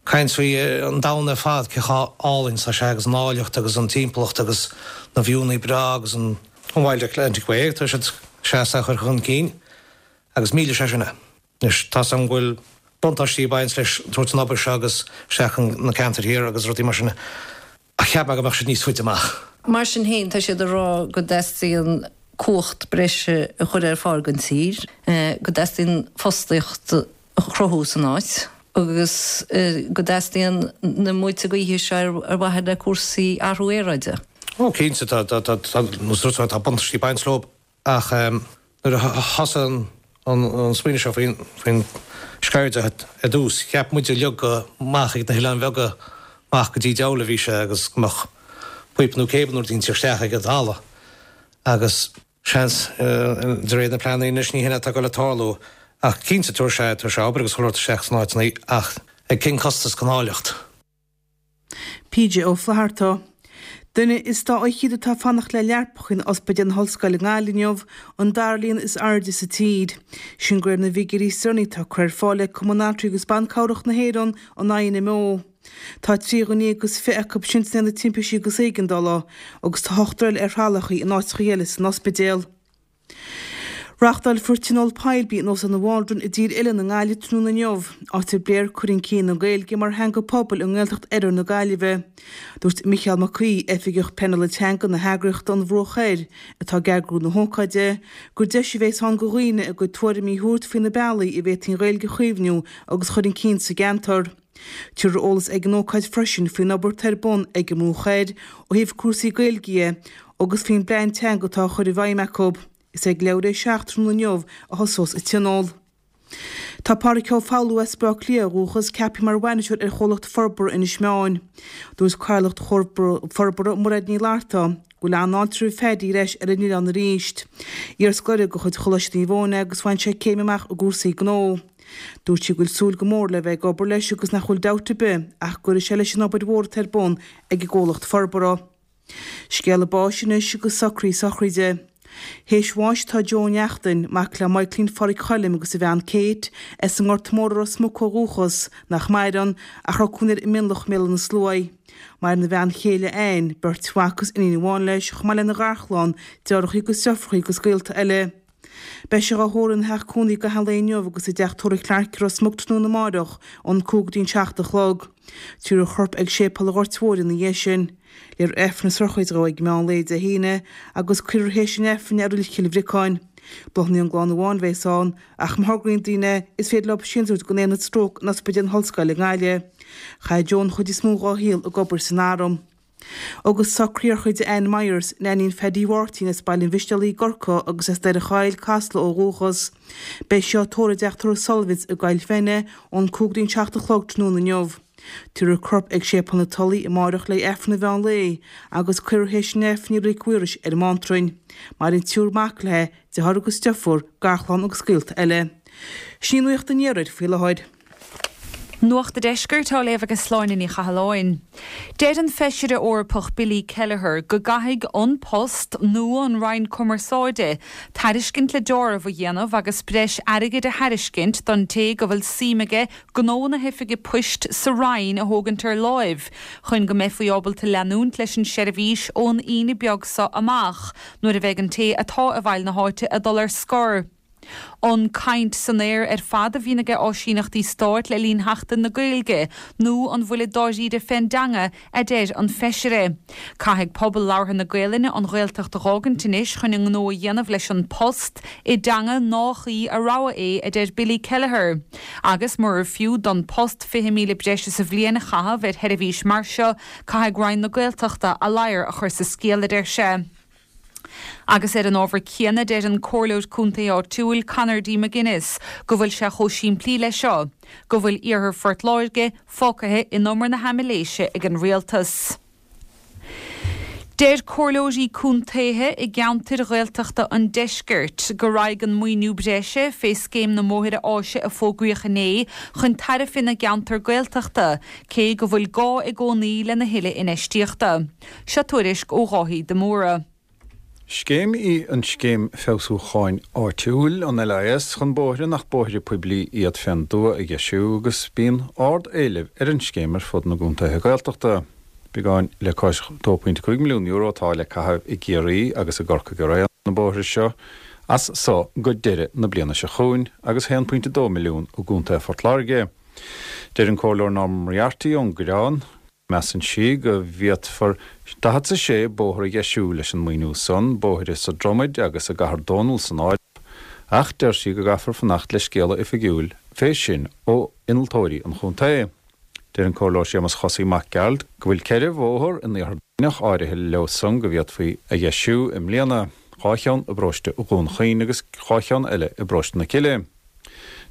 Caint faoi an domhan ar fad, cé chomh álainn is tá sé agus an áilleacht agus an timpeallacht agus na viúnna breá agus an Wild Atlantic Way, tá siad seasta a chur chun cinn agus míle sé sin é. Anois, tá 's agam go bhfuil buntáistí ag baint leis tabhairt an obair seo agus isteach na ceantair thiar agus rudaí mar sin ach cheap mé go mbeadh siad níos faide amach. Mar sin féin, tá siad ag rá go dteastaíonn cumhacht breise a chur ar fáil don tír, go dteastaíonn fostaíocht a chruthú san áit agus go dteastaíonn na muilte gaoithe seo ar mhaithe le cúrsaí athrú aeráide. Ó cinnte, tá, tá, tá, tá, tá buntáistí ag baint leo ach nuair a thosaigh an an smaoineamh seo faoin faoin sceirde ar dtús, cheap muid uilig go amach ag na hOileáin Bheaga amach go dtí Dowla a bhí sé agus go mbeadh píopa nó cable nó rud inteacht isteach ag an talamh agus seans de réir na pleananna anois ní hin atá ag dul a tarlú ach cinnte tabharfaidh sé tabharfaidh sé obair agus chuile shórt isteach sna áiteanna ach ag cén costas don áilleacht? PJ Ó Flatharta. Duine is dá fhichead atá ag fanacht le leapacha in Ospidéal na hOllscoile i nGaillimh inniu, an dara líon is airde sa tír. Sin de réir na bhfigiúirí is deireanaí atá curtha ar fáil ag Cumann Altraí agus Ban Cabhrach na hÉireann, an INMO. Tá trí dhuine déag is fiche acu sin san aonad timpistí agus éigeandála agus tá ochtar eile ar thralachaí in áiteacha eile san ospidéal. Reáchtálfar tionól poiblí in Óstán an Maldron i dTír Oileáin i nGaillimh tráthnóna inniu, áit a bpléifear cur chun cinn na Gaeilge mar theanga pobail i nGaeltacht Oirthear na Gaillimhe. Dúirt Micheál Mac Aoidh, Oifigeach Pleanála Teanga na heagraíochta An Bhruach Thoir, atá ag eagrú na hócáide, gur deis a bheas ann do dhaoine a gcuid tuairimí a thabhairt faoi na bealaí a bhféadfaí an Ghaeilge a chaomhnú agus a chur chun cinn sa gceantar. Tabharfar eolas ag an ócáid freisin faoin obair atá ar bun ag an mBruach Thoir ó thaobh cúrsaí Gaeilge dhe agus faoin bplean teanga atá á chur i bhfeidhm acu. Is ag leathuair tar éis a seacht tráthnóna inniu a thosós an tionól. Tá Páraic Ó Foghlú as Baile Átha Cliath ó dhúchas ceaptha mar bhainisteoir ar Chomhlacht Forbartha Inis Meáin. Dúirt Cathaoirleach Forbartha, Mairéad Ní Fhlatharta, go bhfuil an-fháilte roimh Phaddy ar ais ar an oileán arís. Iarscoláire de chuid Choláiste Naomh Eoin é agus bhain sé céim amach i gcúrsaí gnó. Dúirt sí go bhfuil súil go mór le bheith ag obair leis agus nach bhfuil dabht ar bith ach go gcuirfidh sé leis an obair mhór atá ar bun ag an gcomhlacht forbartha. Scéala báis anois agus socruithe sochraide. Théis bháis atá Joe Ó Neachtain, mac le Michaelín Pháraic Choilm agus a bhean Kate, as an nGort Mór i Ros Muc ó dhúchas, nach maireann, ach raibh cónaí air i Mionlach i mBéal Átha na Sluaighe. Maireann a bhean chéile Ann, beirt mhac agus iníon amháin leis, chomh maith lena gharchlann, deartháireacha agus deirfiúracha agus gaolta eile. Beidh sé dhá thórramh ina theach cónaí i gcaitheamh an lae inniu agus i dteach tórraimh Clarke i Ros Muc tráthnóna amáireach ón cúig go dtí an seacht a chlog. Tabharfar a chorp ag Séipéal an Ghoirt Mhóir ina dhiaidh sin. Léifear Aifreann na sochraide dhó ag meán lae Dé hAoine agus cuirfear théis an Aifrinn é i Reilig Chill Bhriocáin. Bláthanna ón gclann amháin a bheas ann ach má thograíonn daoine is féidir leo síntiús a thabhairt don Aonad Stróc in Ospidéal na hOllscoile i nGaillimh. Chaith Joe an chuid is mó dhá shaol ag obair san Arm. Agus socruithe sochraide Anne Myers, Neainín Phaddy Mháirtín as Baile an Mhistéalaigh i gCorcaigh agus as Doire Choill, Casla ó dhúchas. Beidh sí á tórramh i dteach tórraimh Sullivan's i gCoill Feinne ón cúig go dtí an seacht a chlog tráthnóna inniu. Tabharfar a corp ag Séipéal na Tulaí amáireach le Aifreann an mheán lae agus cuirfear théis an Aifrinn í i Reilig Mhaorais ar an mBeanntrainn. Maireann triúr mac léi, deartháir agus deirfiúr, garchlann agus gaolta eile. Sin í nuacht an iarthair faoi láthair. Nuacht an Deiscirt á léamh ag Sláine Ní Chathalláin. Deir an Feisire Eorpach Billy Kelleher go gcaithfidh An Post nó an Roinn Cumarsáide tairiscint le deáramh a dhéanamh agus breis airgid a thairiscint don té go bhfuil suim aige gnó na hoifige poist sa Roinn a thógaint ar láimh chun go mbeifí ábalta leanúint leis an seirbhís ón Aoine beag seo amach nuair a bheidh an té atá i bhfeighil na háite ag dul ar scor. An caint san aer ar fad a bhíonn ag áisíneachtaí stáit le linn Sheachtain na Gaeilge nó an bhfuilid dáiríre fén dteanga, a deir an Feisire. Caithfidh pobal labhartha na Gaelainne an Ghaeltacht a dh'fhágaint anois chun a ngnó a dhéanamh leis An Post i dteanga nách í a rogha é, a deir Billy Kelleher. Agus murar fiú don Post fiche míle breise sa bhliain a chaitheamh ar sheirbhís mar seo, caithfidh Roinn na Gaeltachta a ladhar a chur sa scéal, a deir sé. Agus ar an ábhar céanna, deir an Comhairleoir Contae áitiúil, Conor D. McGuinness, go bhfuil sé chomh simplí leis seo, go bhfuil Iarthar Phort Láirge fágtha in umar na haimiléise ag an Rialtas. Deir comhairleoirí contaetha i gceantair Ghaeltachta an deiscirt go raghaidh an maoiniú breise fé Scéim na mBóithre Áise a fógraíodh inné chun tairbhe na gceantar Gaeltachta, cé go bhfuil gá i gcónaí lena thuilleadh infheistíochta. Seo tuairisc ó Dháithí de Mórdha. Scéim í an Scéim Feabhsúcháin Áitiúil, an LIS, chun bóithre nach bóithre poiblí iad fén dtuath a dheisiú agus bíonn ard-éileamh ar an scéim ar fud na gcontaetha Gaeltachta. Beagán le cois dó pointe cúig milliún euro atá le caitheamh i gCiarraí agus i gCorcaigh araon ar na bóithre seo as so go deireadh na bliana seo chugainn agus haon pointe dó milliún i gContae Phort Láirge. Deir an Comhairleoir Norma Moriarty ón gCoireán, Measann sí go bhféadfar daichead is a sé bóthar a dheisiú leis an maoiniú san, bóithre sa Dromaid agus i gCathair Dónall san áireamh, ach deir sí go gcaithfear fanacht le scéala oifigiúil fé sin ó innealtóirí an chontae. Deir an Comhairleoir Séamus Chosaí Mac Gearailt go bhfuil ceithre bhóthar in iarthar Duibhneach áirithe leo san go bhféadfaí a dheisiú i mbliana, dhá cheann i bparóiste Dhún Chaoin agus dhá cheann eile i bparóiste na Cille.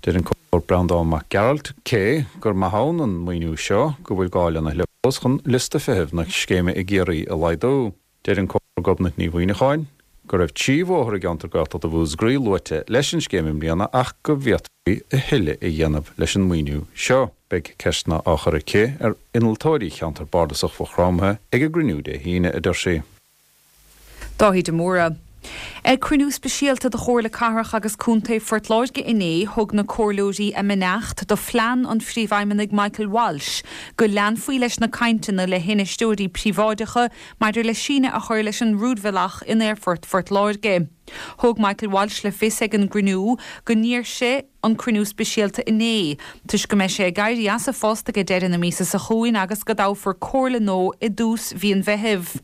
Deir an Comhairleoir Breandán Mac Gearailt, cé gur maith ann an maoiniú seo, go bhfuil gá lena thuilleadh fós chun liosta feithimh na scéime i gCiarraí a laghdú. Deir an Comhairleoir Gobnait Ní Mhuimhneacháin go raibh trí bhóthar i gceantar Gaeltachta Mhúscraí luaite leis an scéim i mbliana ach go bhféadfaí a thuilleadh a dhéanamh leis an maoiniú seo. Beidh ceisteanna á chur aici ar innealtóirí cheantar bardasach Mhaigh Chromtha ag a gcruinniú Dé hAoine, a deir sí. Dáithí de Mórdha. Ag cruinniú speisialta de Chomhairle Cathrach agus Contae Phort Láirge inné, thug na comhairleoirí a mbeannacht do phlean an Phríomhfheidhmeannaigh Michael Walsh go leanfaí leis na cainteanna le hinfheisteoirí príobháideacha maidir le síneadh a chur leis an rúidbhealach in Aerfort Phort Láirge. Thug Michael Walsh le fios ag an gcruinniú go n-iarr sé an cruinniú speisialta inné toisc go mbeidh sé ag éirí as a phost ag deireadh na míosa seo chugainn agus go dtoghfar comhairle nua i dtús mhí an Mheithimh.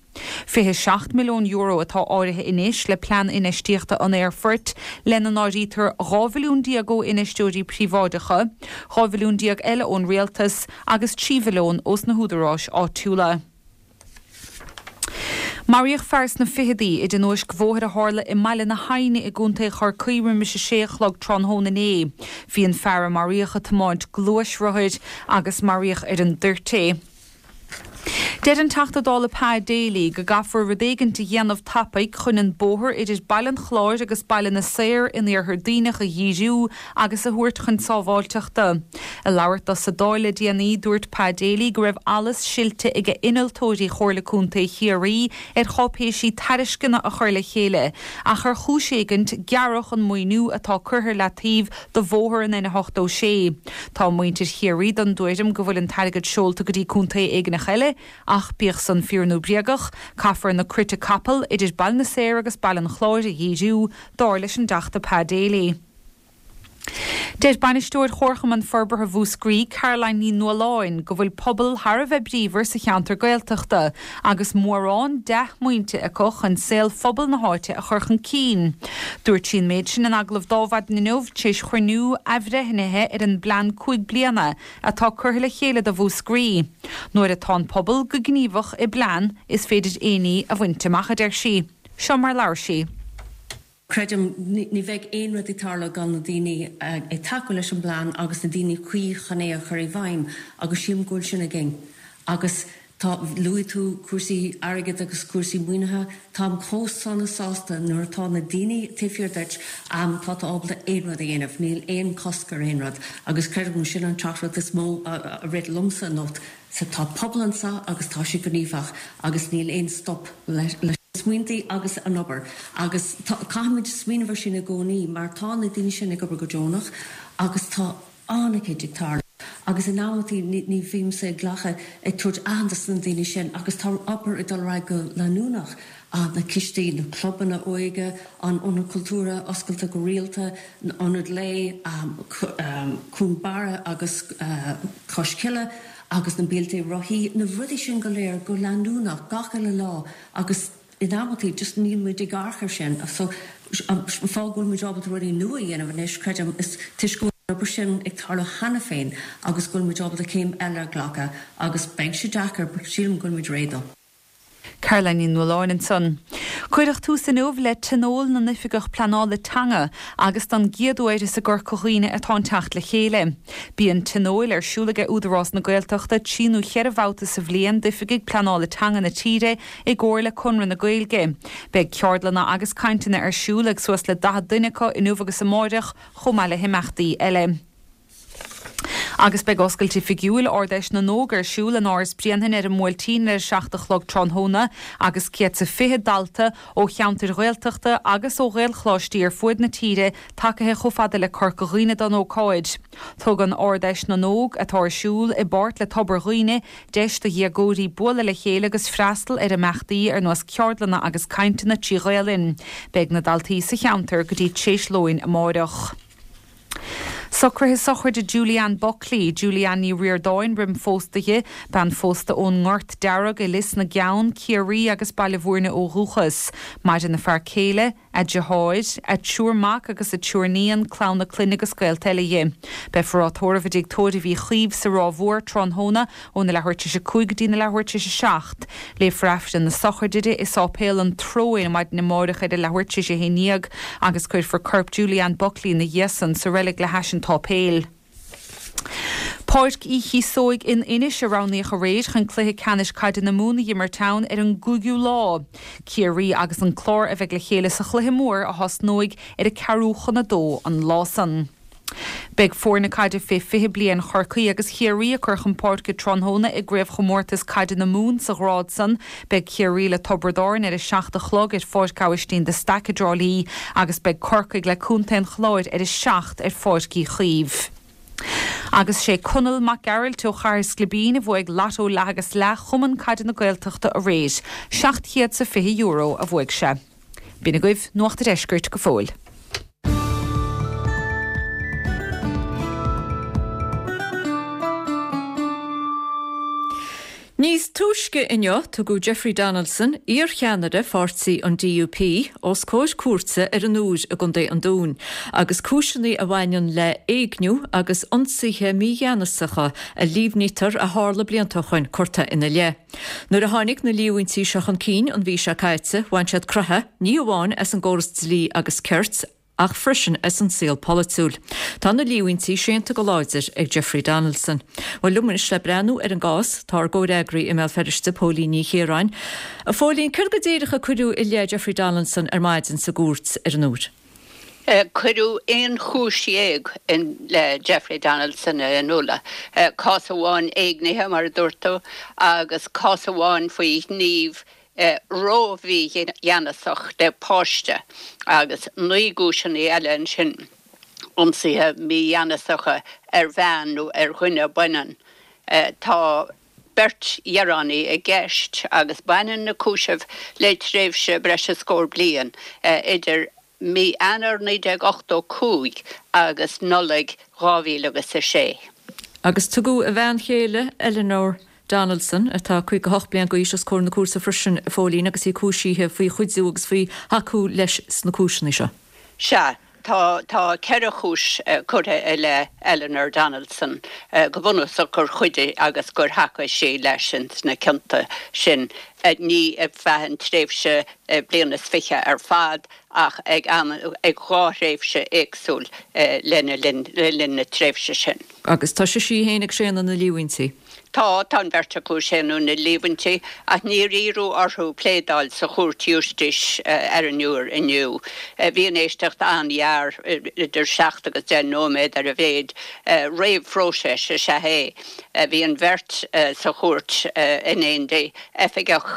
fiche seacht milliún euro atá áirithe anois le plean infheistíochta an aerfoirt, lena n-áirítear dhá mhilliún déag ó infheisteoirí príobháideacha, dhá mhilliún déag eile ón rialtas agus trí mhilliún ós na húdaráis áitiúla. Maraíodh fear sna fichidí i dtionóisc bhóthair a tharla i mBaile na hAidhne i gContae Chorcaí roimis a sé a chlog tráthnóna inné. Bhí an fear a maraíodh ag tiomáint gluaisrothair agus maraíodh ar an dtoirt é. Deir an Teachta Dála Pa Daly go gcaithfear rud éigint a dhéanamh tapaidh chun an bóthar idir Baile an Chláir agus Baile na Saor in iarthar Duibhneach a dhíriú agus a thabhairt chun sábháilteachta. Ag labhairt dó sa Dáil le déanaí, dúirt Pa Daly go raibh allas silte ag innealtóirí Chomhairle Contae Chiarraí ar cháipéisí tairisceana a chur le chéile ach ar chúis éigint gearradh an maoiniú atá curtha ar leataobh do bhóthar an N ochtó sé. Tá muintir Chiarraí den dtuairim go bhfuil an t-airgead seolta go dtí contae éigineach eile, ach bíodh san fíor nó bréagach, caithfear na croite capall idir Baile na Saor agus Baile an Chláir a dhíriú, dar leis an dTeachta Pa Daly. Deir Bainisteoir Chomharchumann Forbartha Mhúscraí, Caroline Ní Nualláin, go bhfuil pobal thar a bheith bríomhar sa cheantar Gaeltachta agus mórán dea-smaointe acu chun saol phobal na háite a chur chun cinn. Dúirt sí an méid sin in agallamh d'Adhmhaidin inniu tar éis chruinniú athbhreithnithe ar an bplean cúig bliana atá curtha le chéile do Mhúscraí. Nuair atá an pobal go gníomhach i bplean, is féidir aon ní a bhaint amach, a deir sí. Seo mar labhair sí. Creidim, ní bheidh aon rud ag tarlú gan na daoine ag tacú leis an bplean agus na daoine cuí chun é a chur i bhfeidhm agus sílim go bhfuil sin againn. Agus tá, luaigh tú cúrsaí airgid agus cúrsaí maoinithe, táim chomh sona sásta nuair atá na daoine taobh thiar duit, tá tú ábalta aon rud a dhéanamh, níl aon chosc ar aon rud agus creidim sin an teachtaireacht is mó a rith liomsa anocht. So tá pobal anseo agus tá sé gníomhach agus níl aon stop leis na smaointe agus an obair agus caithfimid smaoineamh ar sin i gcónaí mar tá na daoine sin ag obair go deonach agus tá an-chuid ag tarlú agus in amantaí ní bhímse ag glacadh ag tabhairt aitheantas do na daoine sin agus tá obair ag dul ar aghaidh go leanúnach. Na cistí, na clubanna óige, an Ionad Cultúrtha oscailte go rialta, Ionad Lae, Cuan Barra agus Cois Cille agus na bealtaí rothaí, na rudaí sin go léir go leanúnach gach uile lá agus in amantaí just níl muid ag amharc ar sin. So an fáth go bhfuil muid ábalta rudaí nua a dhéanamh anois, creidim, is toisc go bhfuil an obair sin ag tarlú cheana féin agus go bhfuil muid ábalta céim eile a ghlacadh agus beidh sé deacair but sílim go bhfuil muid réidh dó. Caroline Ní Nualláin ansan. Cuireadh tús inniu le Tionól na nOifigeach Pleanála Teanga agus don gcéad uair is i gCorca Dhuibhne atá an teacht le chéile. Bíonn tionóil ar siúl aige Údarás na Gaeltachta trí nó cheithre bhabhta sa bhliain d'oifigigh pleanála teanga na tíre i gcomhar le Conradh na Gaeilge. Beidh ceardlanna agus cainteanna ar siúl ag suas le daichead duine acu inniu agus amáireach chomh maith le himeachtaí eile. Agus beidh oscailt oifigiúil Ard-Fheis na nÓg ar siúl in Áras Bhréanainn ar an mBuailtín ar a seacht a chlog tráthnóna agus céad 's a fiche dalta ó cheantair Ghaeltachta agus ó Ghaelcholáistí ar fuaid na tíre tagaithe chomh fada le Corca Dhuibhne don ócáid. Tugann Ard-Fheis na nÓg, atá ar siúl i bpáirt le Tobar Dhuibhne, deis do dhéagóirí bualadh le chéile agus freastal ar imeachtaí ar nós ceardlanna agus cainteanna trí Ghaelainn. Beidh na daltaí sa cheantar go dtí tréis lóin amáireach. Socruithe sochraide Julianne Buckley, Julianne Ní Ríordáin roim phósadh di, bean phósta ón nGort Dearg i Lios na gCeann, Ciarraí agus Baile Bhúirne ó dhúchas. Maireann a fear céile, a deartháir, a triúr mac agus a triúr níon, clann a clainne agus gaolta eile dhi. Beifear á tórramh i dtigh tórraimh Uí Chaoimh sa Ráth Mhór tráthnóna óna leathuair tar éis a cúig go dtí na leathuair tar éis a seacht. Léifear Aifreann na sochraide di i Sáipéal an Tróin maidin amárach ar a leathuair tar éis a haon déag agus cuirfear corp Julianne Buckley ina dhiaidh san sa reilig le hais an tsáipéil. Páirc Uí Chíosóig in Inis a roghnaíodh aréir chun cluiche ceannais caide na Mumhan a dh'imirt ann ar an gcúigiú lá. Ciarraí agus an Clár a bheidh le chéile sa chluiche mór a thosnóidh ar a ceathrú chun a dó an lá san. Beidh foirne caide fé fiche bliain Chorcaí agus Chiarraí ag cur chun páirce tráthnóna i gcraobhchomórtas caide na Mumhan sa ghrád san. Beidh Ciarraí le Tiobraid Árann ar a seacht a chlog ar Pháirc Aibhistín de Staic i dTrá Lí agus beidh Corcaigh le Contae an Chláir ar a seacht ar Pháirc Uí Chaoimh. Agus sé Conall Mac Gearailt ó Chathair Sclibín a bhuaigh Lotto Leath agus Leath Chumann Caide na Gaeltachta aréir. Seacht chéad 's a fiche euro a bhuaigh sé. B'in agaibh Nuacht a' Deiscirt go fóill. Níos túisce inniu tugadh Jeffrey Donaldson, iarcheannaire pháirtí an DUP, os comhair cúirte ar an Iúr i gContae an Dúin, agus cúiseanna a bhaineann le éigniú agus ionsaithe mígheanasacha a líomhnaítear a tharla blianta ó shoin curtha ina leith. Nuair a tháinig na líomhaintí seo chun cinn an mhí seo caite, bhain siad croitheadh ní amháin as an gcóras dlí agus cirt, ach freisin as an saol polaitiúil. Tá na líomhaintí séanta go láidir ag Jeffrey Donaldson. Bhuel, liom anois le breathnú ar an gcás, tá ár gcomhfhreagraí i mBéal Feirste, Póilín Ní Chiaráin. A Phóilín, céard go díreach a cuireadh i leith Jeffrey Donaldson ar maidin sa gcúirt ar an Iúr? Cuireadh aon chúis dhéag i leith Jeffrey Donaldson a Fhionnuala. Cás amháin éignithe, mar a dúirt tú, agus cás amháin faoi ghníomh ró-mhígheanasach le páiste agus naoi gcúiseanna eile ansin, ionsaithe mígheanasacha ar bhean nó ar dhuine baineann. Tá beirt ghearánaí i gceist agus baineann na cúisimh le tréimhse breis is scór bliain idir mí Eanáir naoi déag ochtó cúig agus Nollaig dhá mhíle agus a sé. Agus tugadh a bhean chéile, Eleanor Donaldson, atá caoga a hocht bliain d'aois, os comhair na cúirte freisin, a Phóilín, agus í cúisithe faoi chuidiú agus faoi thacú leis sna cúiseanna seo. Sea, tá, tá ceithre chúis curtha i leith Eleanor Donaldson, go bunúsach gur chuidigh agus gur thacaigh sí leis ins na cionta sin, ní ar feadh an tréimhse bliain is fiche ar fad ach ag am, ag dhá thréimhse éagsúil lena linn, le linn na tréimhse sin. Agus tá sise í féin ag séanadh na líomhaintí. Tá, tá an bheirt acu ag séanadh na líomhaintí, ach níor iarradh orthu pléadáil sa Chúirt Ghiúistís ar an Iúr inniu. Bhí an éisteacht an-ghearr, idir seacht agus deich nóiméad ar a mhéid. Réamhphróiseas is ea é. Bhí an bheirt sa chúirt in éindí, oifigeach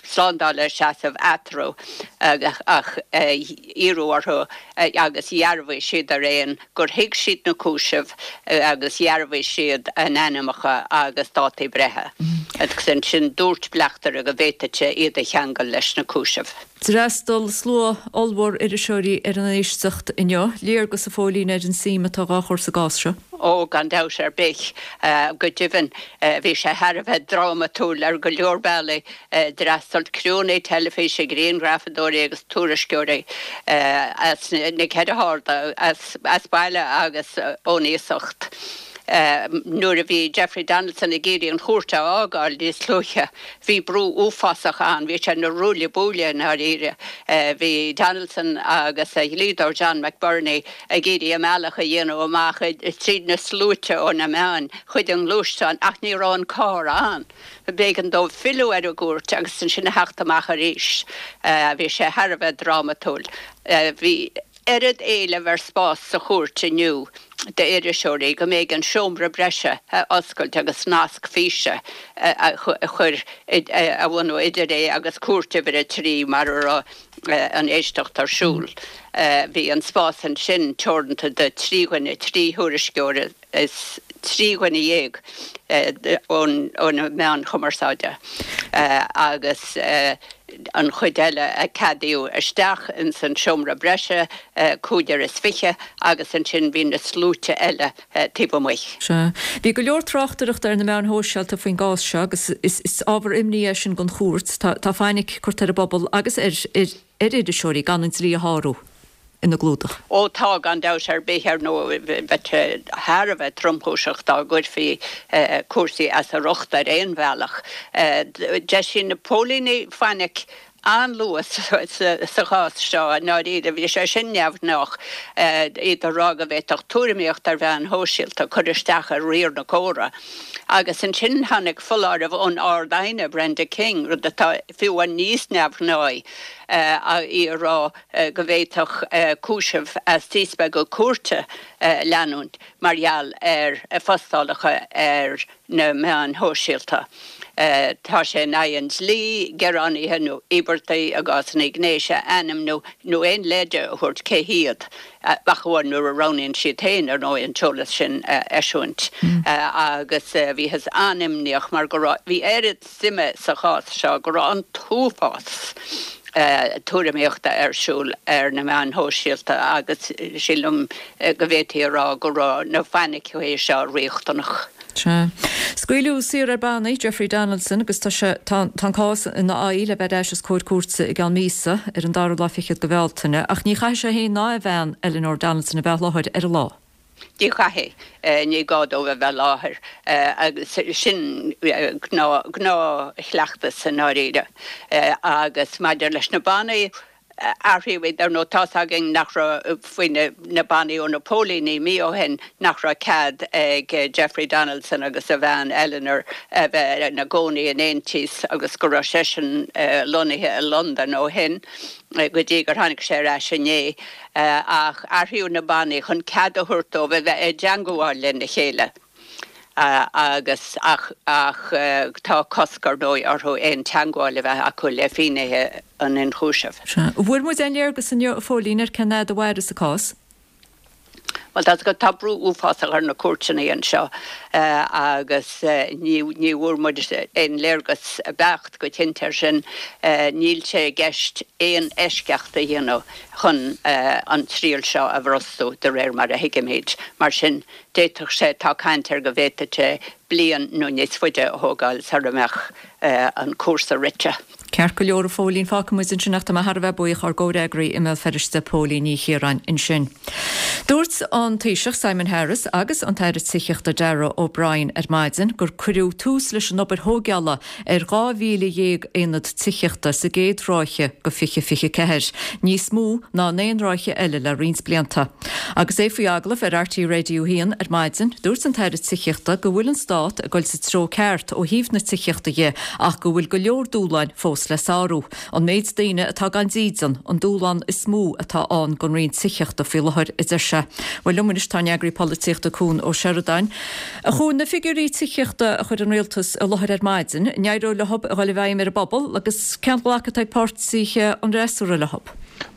slándála ag seasamh eatarthu, ach iarradh orthu agus dhearbhaigh siad araon gur thuig siad na cúisimh agus dhearbhaigh siad a n-ainmneacha agus dátaí breithe. Agus ansin dúirt bleachtaire go bhféadfadh sé iad a cheangal leis na cúisimh. D'fhreastail slua ollmhór iriseoirí ar an éisteacht inniu. Léargas, a Phóilín, ar an suim atá dhá chur sa gcás seo. Ó, gan dabht ar bith. Go deimhin, bhí sé thar a bheith drámatúil ar go leor bealaí. D'fhreastail criúnna teilifíse, grianghrafadóirí agus tuairisceoirí as na ceithre harda, as baile agus ón iasacht. Nuair a bhí Jeffrey Donaldson ag iarraidh an chúirt a fhágáil níos luaithe, bhí brú uafásach ann, bhí sé ina ruaille buaille i ndáiríre. Bhí Donaldson agus a dhlíodóir John McBurney ag iarraidh a mbealach a dhéanamh amach tríd na sluaite ó na meáin chuig an ngluaisteán ach ní raibh an carr ann. B'éigean dóibh filleadh ar an gcúirt agus ansin a theacht amach arís. Bhí sé thar a bheith drámatúil. Bhí. oiread éilimh ar spás sa chúirt inniu d'iriseoirí go mb'éigean seomra breise a oscailt agus nasc físe a chur a bhunú idir é agus cúirt uimhir a trí mar a raibh an éisteacht ar siúl. Bhí an spás ansin teoranta do trí dhuine, trí thuairisceoir is trí dhuine dhéag ó na meáin chumarsáide agus an chuid eile a ceadaíodh isteach ins an seomra breise, cúigear is fiche, agus ansin bhí na sluaite eile taobh amuigh. Sea. Bhí go leor tráchtaireachta ar na meáin shóisialta faoin gcás seo agus is ábhar imní é sin don chúirt. Tá fainic curtha ar an bpobal agus ar iriseoirí gan an dlí a shárú ina gclúdach. Ó tá, gan dabht ar bith, ar ndóigh, bheadh sé thar a bheith tromchúiseach dá gcuirfí cúrsaí as a riocht ar aon bhealach. D'eisigh na póilíní fainic an-luath sa chás seo, i ndáiríre, bhí sé sin neamhghnách, iad ag rá go bhféadfadh tuairimíocht ar mheáin shóisialta cur isteach ar riar na córa. Agus ansin tháinig foláireamh ón Ard-Aighne, Brenda King, rud atá fiú amháin níos neamhghnáí, í ag rá go bhféadfadh cúiseamh as díspeagadh cúirte leanúint mar gheall ar phostálacha ar na meáin shóisialta. Tá sé in aghaidh an dlí gearánaithe nó íobartaigh i gcásanna gnéis a ainmniú nó aon leide a thabhairt cé hiad, ach amháin nuair a roghnaíonn siad féin, ar ndóigh, an t-eolas sin a eisiúint. Agus bhíothas an-imníoch mar go raibh, bhí oiread suime sa chás seo go raibh an t-uafás tuairimíochta ar siúl ar na meáin shóisialta agus sílim go bhféadfaí a rá go raibh na fainicí seo riachtanach. Sea. Scaoileadh saor ar bannaí Jeffrey Donaldson agus tá sé, tá, tá an cás ina aghaidh le bheith ar ais os comhair cúirte i gceann míosa, ar an dara lá fichead de Bhealtaine, ach ní chaithfidh sé féin ná a bhean, Eleanor Donaldson, a bheith i láthair ar an lá. Ní chaithfidh. Ní gá dóibh a bheith i láthair agus sin gnáthchleachtas i ndáiríre. Agus maidir leis na bannaí, athraíodh iad, ar ndóigh, tá's againn nach raibh, faoi na bannaí ó na póilíní mí ó shin, nach raibh cead ag Jeffrey Donaldson agus a bhean Eleanor a bheith ina gcónaí in aontíos agus go raibh seisean lonnaithe i Londain ó shin go dtí gur tháinig sé ar ais inné. Ach athraíodh na bannaí chun cead a thabhairt dóibh a bheith i dteangmháil lena chéile. Agus, ach, ach tá cosc, ar ndóigh, orthu aon teangmháil a bheith acu le finnéithe an ionchúisimh. Sea. An bhfuair muid aon léargas inniu, a Phóilín, ar cén fhad a mhairfeas an cás? Bhuel, tá 'fhios agat, tá brú uafásach ar na cúirteanna anseo agus ní, ní bhfuair muid aon léargas beacht go cinnte air sin. Níl sé i gceist aon eisceacht a dhéanamh chun an triail seo a bhrostú, de réir mar a thuigimid. Mar sin, D'fhéadfadh sé, tá caint air go bhféadfadh sé bliain nó níos faide a thógáil sara mbeadh an cúrsa rite. Ceart go leor, a Phóilín, fágfaidh muid ansin ach tá mé thar a bheith buíoch ár gcomhfhreagraí i mBéal Feirste, Póilín Ní Chiaráin, ansin. Dúirt an Taoiseach Simon Harris agus an tAire Tithíochta Darragh O'Brien ar maidin gur cuireadh tús leis an obair thóigeála ar dhá mhíle dhéag aonad tithíochta sa gcéad ráithe de fiche fiche ceathair, níos mó ná in aon ráithe eile le roinnt blianta. Agus é faoi agallamh ar RTÉ Radio a haon ar maidin, dúirt an tAire Tithíochta go bhfuil an Stát ag dul sa treo ceart ó thaobh na tithíochta dhe ach go bhfuil go leor dúshláin fós le sárú. An méid daoine atá gan dídean an dúshlán is mó atá ann don Roinn Tithíochta faoi láthair, a deir sé. Bhuel, liom anois tá an eagraí polaitíochta Cuan Ó Seireadáin. A Chuain, na figiúirí tithíochta a chuir an Rialtas i láthair ar maidin, an éireoidh leo a dhul i bhfeidhm ar an bpobal agus cén ghlacadh atá ag páirtithe an fhreasúra leo?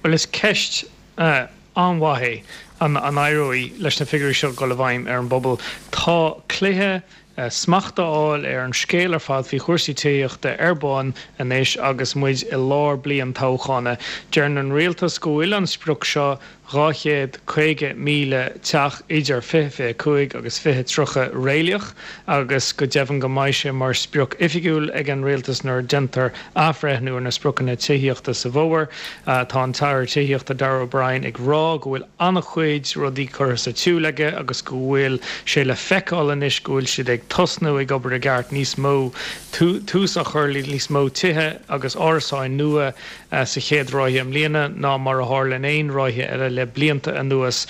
Bhuel, is ceist an-mhaith é an éireoidh leis na figiúirí seo dul i bhfeidhm ar an bpobal. Tá cluiche smacht a fháil ar an scéal ar fad faoi chúrsaí tithíochta ar bun anois agus muid i lár bliain toghchána. Deireann an rialtas go bhfuil an sprioc seo dhá chéad caoga míle teach idir fiche fiche cúig agus fiche tríocha réalaíoch agus go deimhin go mbeidh sé mar sprioc oifigiúil ag an rialtas nuair a déantar athbhreithniú ar na spriocanna tithíochta sa bhfómhar. Tá an tAire Tithíochta Darragh O'Brien ag rá go bhfuil an-chuid rudaí curtha sa tsiúl aige agus go bhfuil sé le feiceáil anois go bhfuil siad ag tosnú ag obair i gceart, níos mó tús á chur le níos mó tithe agus árasáin nua sa chéad ráithe i mbliana ná mar a tharla in aon ráithe eile le blianta anuas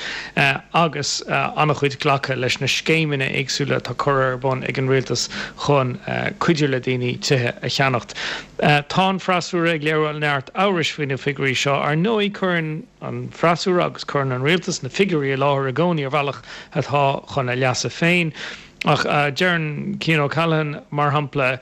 agus an-chuid glactha leis na scéimeanna éagsúla atá curtha ar bun ag an rialtas chun cuidiú le daoine tithe a cheannacht. Tá an freasúra ag léiriú neart amhrais faoi na figiúirí seo. Ar ndóigh, cuireann an freasúra agus cuireann an rialtas na figiúirí i láthair i gcónaí ar bhealach atá chun a leasa féin. Ach deireann Cian O'Callaghan, mar shampla,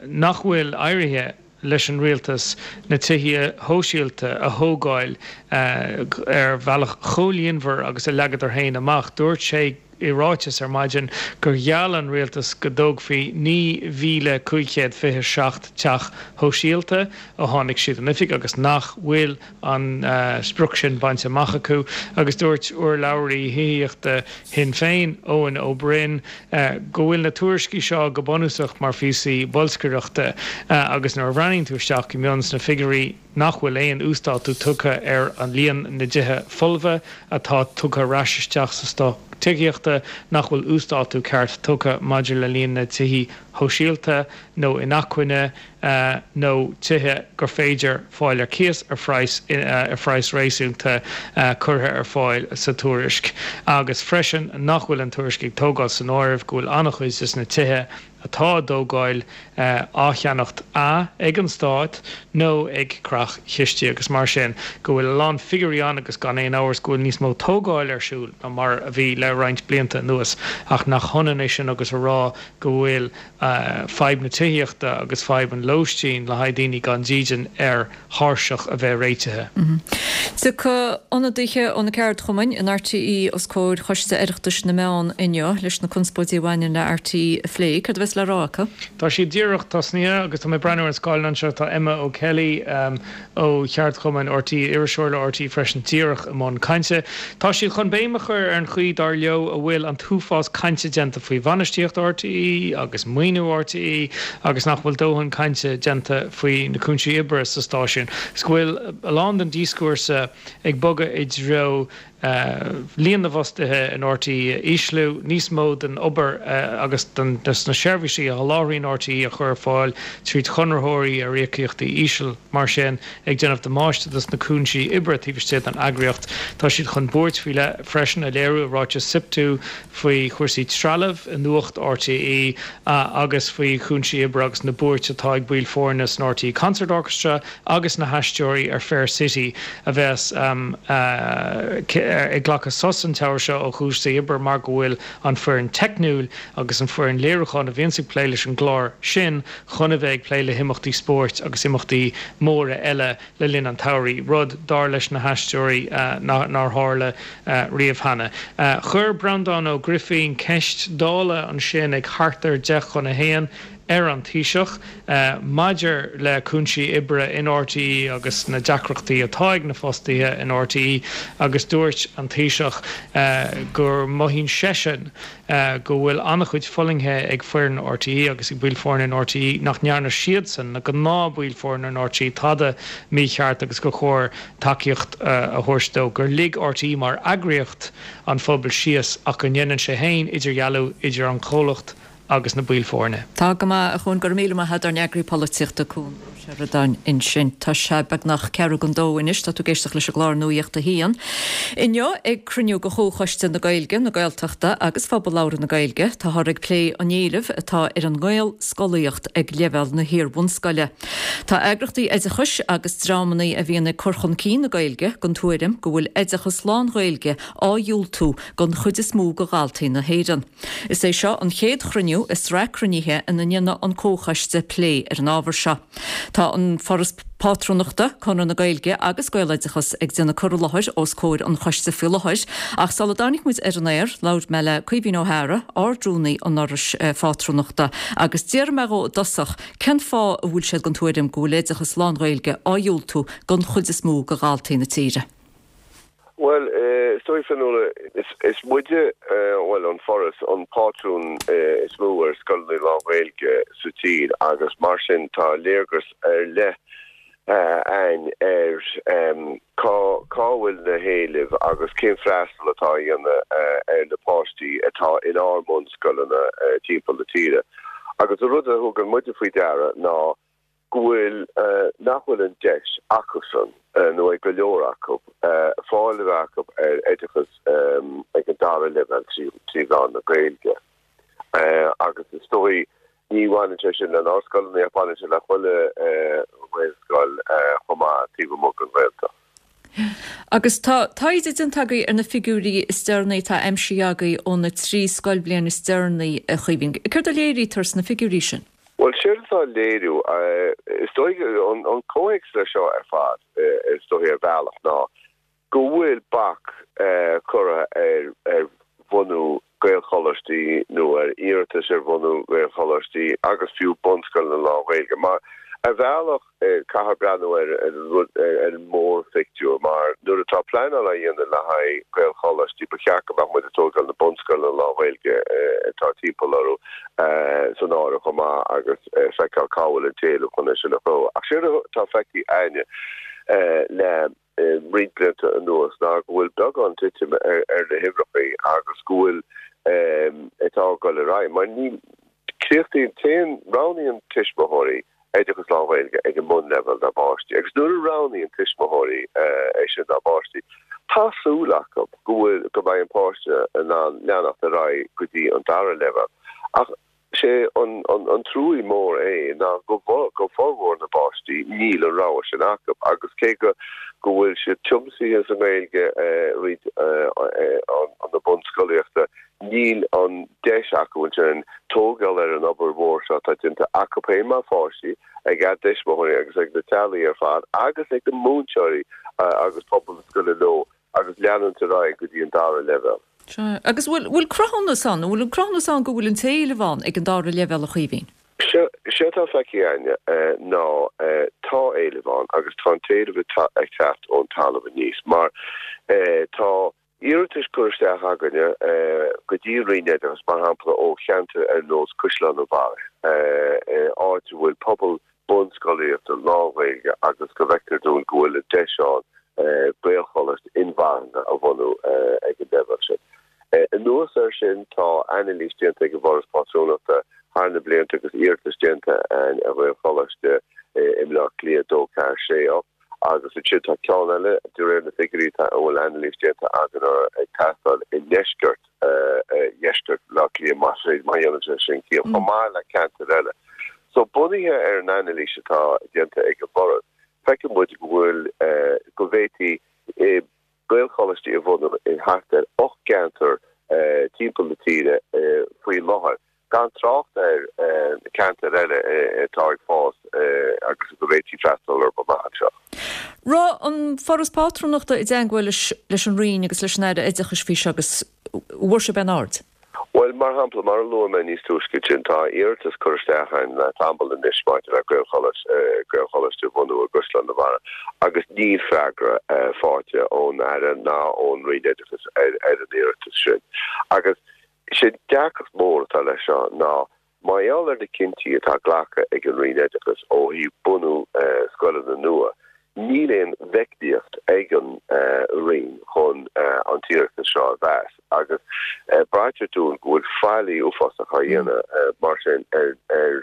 nach bhfuil éirithe leis an rialtas na tithe shóisialta a thógáil ar bhealach chomh líonmhar agus a leagadar féin amach. Dúirt sé i ráiteas ar maidin gur gheall an rialtas go dtógfaí naoi mhíle cúig chéad fiche seacht teach shóisialta ó tháinig siad in oifig agus nach bhfuil an sprioc sin bainte amach acu agus dúirt urlabhraí thithíochta Shinn Féin, Eoin Ó Broin, go bhfuil na tuairiscí seo go bunúsach mar phíosaí bolscaireachta agus nuair a bhreathnaíonn tú isteach go mion sna figiúirí nach bhfuil aon uasdátú tugtha ar an líon na dtithe folmha atá tugtha ar ais isteach sa stoc tithíochta, nach bhfuil uasdátú ceart tugtha maidir le líon na tithí shóisialta nó inacmhainne nó tithe gur féidir fáil ar cíos ar phraghas ar phraghas réasúnta curtha ar fáil sa tuairisc agus freisin nach bhfuil an tuairisc ag tógáil san áireamh go bhfuil an-chuid de na tithe atá á dtógáil á cheannacht a ag an Stát nó ag creach-chistí agus mar sin go bhfuil a lán figiúirí ann agus gan aon amhras go bhfuil níos mó tógáil ar siúl ná mar a bhí le roinnt blianta anuas ach nach hionann é sin agus a rá go bhfuil fadhb na tithíochta agus fadhb an lóistín le haghaidh daoine gan dídean ar thairseach a bheith réitithe. Tiocfaidh ionadaithe ó na ceardchumainn in RTÉ os comhair Choiste Oireachtais na Meán inniu leis na conspóidí a bhaineann le RTÉ a phlé. Céard a bheas le rá acu? Tá siad díreach tosnaithe agus tá mé ag breathnú ar an scáileán anseo, tá Emma O'Kelly ó cheardchumann RTÉ, iriseoir le RTÉ freisin, díreach i mbun cainte. Tá siad chun béim a chur ar an chaoi, dar leo, a bhfuil an t-uafás cainte déanta faoi bhainistíocht RTÉ agus maoiniú RTÉ agus nach bhfuil dóthain cainte déanta faoi na cúinsí oibre sa stáisiún. Is go bhfuil a lán den díoscúrsa ag bogadh i dtreo líon na bhfostaithe in RTÉ a ísliú, níos mó den obair agus de na seirbhísí a sholáthraíonn RTÉ a chur ar fáil tríd chonraitheoirí ar íocaíochtaí íseal, mar sin, ag déanamh damáiste dos na cúinsí oibre taobh istigh den eagraíocht. Tá siad chun buairt faoi leith freisin a léiriú i ráiteas SIPTU faoi chúrsaí trealaimh i nuacht RTÉ agus faoi chúinsí oibre agus na buairt atá ag baill foirne san RTÉ Concert Orchestra agus na haisteoirí ar Fair City a bheas ag glacadh sos an tsamhradh seo ó chúrsaí oibre mar go bhfuil an foireann teicniúil agus an foireann léiriúcháin a bhíonns ag plé leis an gclár sin chun a bheith ag plé le himeachtaí spóirt agus imeachtaí móra eile le linn an tsamhraidh, rud, dar leis na haisteoirí, nár tharla riamh cheana. Chuir Breandán Ó Grifín ceist Dála ansin ag thart ar deich chun a haon ar an Taoiseach maidir le cúinsí oibre in RTÉ agus na deacrachtaí atá ag na fostaithe in RTÉ agus dúirt an Taoiseach go mothaíonn seisean go bhfuil an-chuid fulaingthe ag foireann RTÉ agus ag baill foirne in RTÉ, nach ndearna siadsan, na gnáthbhaill foirne in RTÉ, tada mícheart agus gur chóir tacaíocht a thabhairt dó, gur lig RTÉ mar eagraíocht an phobal síos ach go ndéanann sé féin idirdhealú idir an chomhlacht agus na baill foirne. Tá go maith, a Chuain, go raibh míle maith agat, ár n-eagraí polaitíochta, Cuan Ó Seireadáin ansin. Tá sé beagnach ceathrú don dó anois, tá tú ag éisteacht leis an gclár Nuacht a hAon. Inniu, ag cruinniú de Chomhchoiste na Gaeilge, na Gaeltachta agus Phobal Labhartha na Gaeilge, táthar ag plé an éilimh atá ar an nGaelscolaíocht ag leibhéal na hiar-bhunscoile. Tá eagrachtaí oideachais agus dreamanna a bhíonn ag cur chun cinn na Gaeilge den tuairim go bhfuil oideachas lán-Ghaeilge á dhiúltú don chuid is mó de dhaltaí na hÉireann. Is é seo an chéad chruinniú i sraith cruinnithe ina ndéanfaidh an Comhchoiste plé ar an ábhar seo. Tá an Foras Pátrúnachta, Conradh na Gaeilge agus Gaeloideachas ag déanamh cur i láthair os comhair an choiste faoi láthair ach sula dtáinig muid ar an aer, labhair mé le Caoimhín Ó hEára, Ard-Rúnaí an Fhorais Phátrúnachta agus d'iarr mé dhó i dtosach cén fáth a bhfuil siad den tuairim go bhfuil oideachas lán-Ghaeilge á dhiúltú don chuid is mó de dhaltaí na tíre. Bhuel, is dóigh, Fionnuala, is muide, bhuel, an Foras, an pátrún is mó ar scoileanna lán-Ghaeilge sa tír agus mar sin tá léargas ar leith a'ainn ar cá cá bhfuil na héilimh agus cén freastal atá á dhéanamh ar na páistí atá inár mbunscoileanna timpeall na tíre. Agus an rud a thugann muide faoi deara ná go bhfuil nach bhfuil an deis acusan, nó ag go leor acu, fáil a bheith acu ar oideachas ag an dara leibhéal trí mheán na Gaeilge. Agus is dóigh, ní bhaineann sé sin lenár scoileanna ach baineann sé le chuile Ghaelscoil chomh maith taobh amuigh den Ghaeltacht. Agus tá taighde déanta agaibh ar na figiúirí is deireanaí atá aimsithe agaibh ó na trí scoilbhliain is deireanaí, a Chaoimhín. Céard a léirítear sna figiúirí sin? Bhuel, séard atá á léiriú, is dóigh, an comhthéacs leis seo ar fad, is dóigh ar bhealach, ná go bhfuil bac curtha ar bhunú Gaelcholáistí nó ar iarratais ar bhunú Gaelcholáistí agus fiú bunscoileanna lán-Ghaeilge. Mar ar bhealach, caithfear breathnú ar an rud, ar an mórphictiúr, mar nuair atá pleanáil á dhéanamh le haghaidh Gaelcholáistí, ba cheart go mbeadh muid ag tógáil na bunscoileanna lán-Ghaeilge atá timpeall orthu san áireamh chomh maith agus feiceáil cá bhfuil an t-éileamh chun é sin a chruthú. Ach séard atá feicthe a'inne le roinnt blianta anuas ná go bhfuil beagán titim ar na huimhreacha agus go bhfuil atá ag dul ar aghaidh mar ní críochnaíonn, téann, roghnaíonn tuismitheoirí oideachas lán-Ghaeilge ag an mbunleibhéal dá bpáistí agus nuair a roghnaíonn tuismitheoirí é sin dá bpáistí, tá súil acu go bhfuil, go mbeidh an páiste in ann leanacht ar aghaidh go dtí an dara leibhéal. Ach sé an, an, an truaí mór é ná go, go formhór na bpáistí níl an rogha sin acu agus cé go, go bhfuil siad tiomsaithe sa nGaeilge roinnt na bunscolaíochta, Níl an deis acu ansin tógáil ar an obair mhór seo atá déanta acu féin mar pháistí, ag a dtuismitheoirí agus ag na teaghlaigh ar fad agus ag na múinteoirí agus pobal na scoile leo agus leanúint ar aghaidh go dtí an dara leibhéal. Sea. Agus bhfuil, bhfuil cruthúnas ann, an bhfuil an cruthúnas ann go bhfuil an t-éileamh ann ag an dara leibhéal, a Chaoimhín? Séard atá feicthe a'inne ná tá éileamh ann agus tá an t-éileamh ag teacht ón talamh aníos mar tá Iarratais curtha isteach againne go dtí an Roinn Oideachais, mar shampla, ó cheantair ar nós Caisleán an Bharraigh, áit a bhfuil pobal bunscolaíochta lán-Ghaeilge agus go bhfeictear dúinn go bhfuil an deis ann Gaelcholáiste inmharthana a bhunú ag an leibhéal sin. Anuas air sin, tá anailís déanta ag an bhForas Pátrúnachta thar na blianta agus iarratas déanta ar Ghaelcholáiste i mBleá Cliath a dó, ceathair, sé, ocht, Agus ansin tá ceann eile, de réir na figiúirí atá, a bhfuil anailís déanta againn orthu, ag teastáil i ndeisceart, dheisceart Bhaile Átha Cliath, más féidir, má dhéanann sé sin ciall, chomh maith le ceantair eile. So, bunaithe ar an anailís atá déanta ag an bhForas, feiceann muid go bhfuil, go bhféadfaí Gaelcholáistí a bhunú in thart ar ocht gceantar timpeall na tíre faoi láthair. gan trácht ar na ceantair eile atá ag fás agus go bhféadfaí freastal orthu amach anseo. Raibh an Foras Pátrúnachta i dteangmháil leis an Roinn agus leis an Aire Oideachais faoi seo agus an bhfuair sibh aon aird? Bhuel, mar shampla, mar a luaigh mé níos túisce ansin, tá iarratas curtha isteach againn le tamall anois maidir le Gaelcholáiste a bhunú i gCaisleán an Bharraigh agus níl freagra faighte ón Aire ná ón Roinn Oideachais ar an iarratas sin. Agus Sé an deacracht mór atá leis seo ná mar gheall ar na cinntí atá glactha ag an Roinn Oideachais ó thaobh bunú scoileanna nua, níl aon mheicníocht ag an Roinn chun an t-iarratas seo a mheas agus braitear dúinn go bhfuil faillí uafásach á dhéanamh mar sin ar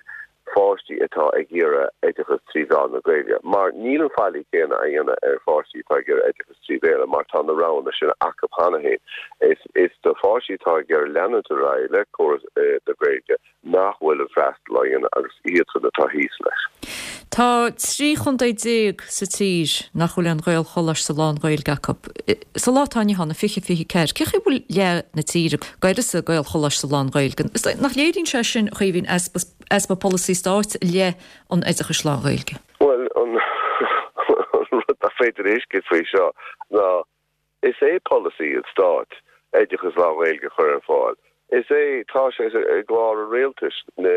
pháistí atá ag iarraidh oideachas trí mheán na Gaeilge, mar níl an faillí céanna á dhéanamh ar pháistí atá ag iarraidh oideachas trí Bhéarla mar tá na roghanna sin acu cheana féin. Is is do pháistí atá ag iarraidh leanúint ar aghaidh le córas na Gaeilge nach bhfuil an freastal á dhéanamh agus iadsan atá thíos leis. Tá trí chontae déag sa tír nach bhfuil aon Ghaelcholáiste lán-Ghaeilge acu. Sa lá atá inniu ann, fiche fiche ceathair, cén chaoi a bhfuil leath na tíre gan oiread is Gaelcholáiste lán-Ghaeilge? Nach léiríonn sé sin, a Chaoimhín, easpa easpa polasaí stáit i leith an oideachais lán-Ghaeilge? Bhuel, an rud nach féidir a thuiscint faoi seo ná is é polasaí an stáit oideachas lán-Ghaeilge a chur ar fáil. Is é, tá sé i gclár an rialtais na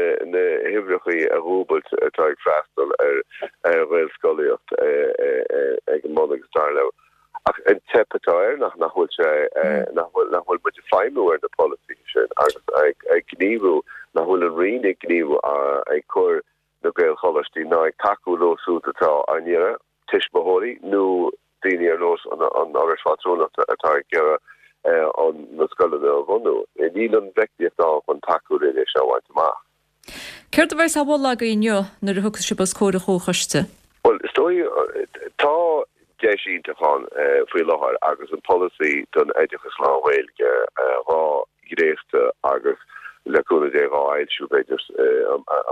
huimhreachaí a dhúbailt atá ag freastal ar Ghaelscolaíocht ag an mbun agus dara leibhéal. Ach an teip atá air ná nach bhfuil sé, nach bhfuil, nach bhfuil muid ag feidhmiú ar na polasaithe sin agus ag gníomhú, nach bhfuil an Roinn ag gníomhú ag cur na Gaelcholáistí ná ag tacú leo siúd atá á n-iarraidh, tuismitheoirí nó daoine ar nós an Fhorais Phátrúnachta atá ag iarraidh na scoileanna a bhunú. Níl an mheicníocht ann chun tacú linn é seo a bhaint amach. Céard a bheas á mholadh agaibh inniu nuair a thiocfas sibh os comhair an Chomhchoiste? Bhuel, is dóigh, tá deis iontach ann faoi láthair agus an polasaí don oideachas lán-Ghaeilge dhá dhréachtadh agus le cúnamh Dé dhá fhoilsiú b'fhéidir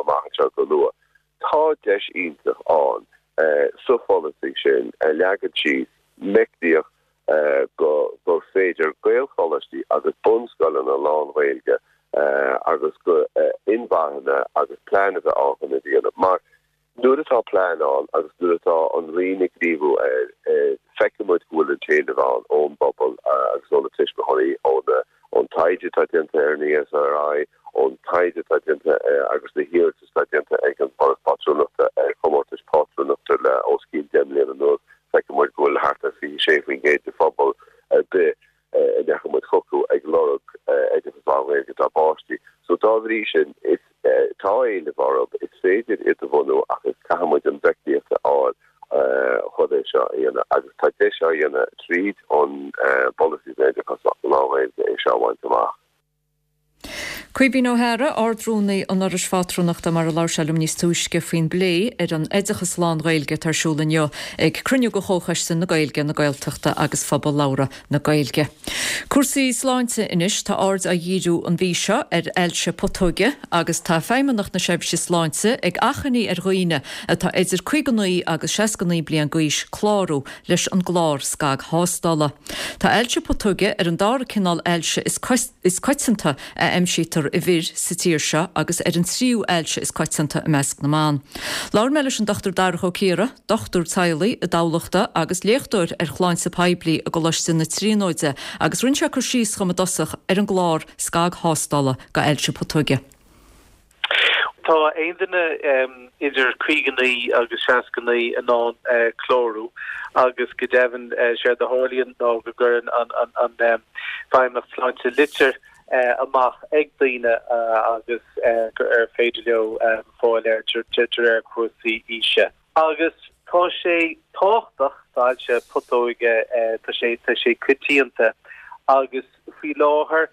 amach anseo go luath. Tá deis iontach ann sa pholasaí sin a leagan síos meicníocht go gur féidir Gaelcholáistí agus bunscoileanna lán-Ghaeilge agus go inmharthana agus plean a bheith ann chun é a dhéanamh. Mar nuair atá plean ann agus nuair atá an Roinn ag gníomhú air, feiceann muid go bhfuil an t-éileamh ann ón bpobal agus ó na tuismitheoirí, ón taighde atá déanta ar an ESRI, ón taighde atá déanta agus na hiarratais atá déanta ag an bhForas Pátrúnachta ar chomórtais pátrúnachta le os cionn deich mbliana anuas, feiceann muid go bhfuil thart ar fiche sé faoin gcéad de phobal ar bith a ndeachaigh muid chucu ag lorg oideachas lán-Ghaeilge dá bpáistí. So dá bhrí sin, is tá éileamh orthu, is féidir iad a bhunú ach is caithfidh muid an mheicníocht a fháil chun é seo a dhéanamh agus tá deis á dhéanamh tríd an bpolasaí don oideachas lán-Ghaeilge é seo a bhaint amach. Caoimhín Ó hEadhra, Ard-Rúnaí an Fhorais Phátrúnachta mar a labhair sé liom níos túisce faoin bplé ar an oideachas lán-Ghaeilge atá ar siúl inniu ag cruinniú de Chomhchoiste na Gaeilge, na Gaeltachta agus Phobal Labhartha na Gaeilge. Cúrsaí sláinte anois, tá aird á dhíriú an mhí seo ar ailse putóige agus tá Feidhmeannacht na Seirbhíse Sláinte ag achainí ar dhaoine atá idir caoga naoi agus seasca naoi bliain d'aois clárú leis an gclár scagthástála. Tá ailse putóige ar an dara cineál ailse is coitianta a aimsítear i bhfir sa tír seo agus ar an tríú ailse is coitianta i measc na mban. Labhair mé leis an Dochtúir Darach Ó Ciardha, dochtúir teaghlaigh i dTamhlacht agus léachtóir ar shláinte poiblí i gColáiste na Tríonóide agus rinne sé cur síos dhom i dtosach ar an gclár scagthástála go ailse putóige. Tá aon duine idir caoga naoi agus seasca naoi in ann clárú agus go deimhin séard a tharlaíonn ná go gcuireann an Feidhmeannacht Sláinte litir amach ag daoine agus gur ar féidir leo fáil air de réir cúrsaí aoise. Agus tá sé tábhachtach, tá ailse putóige, tá sé tá sé coitianta agus faoi láthair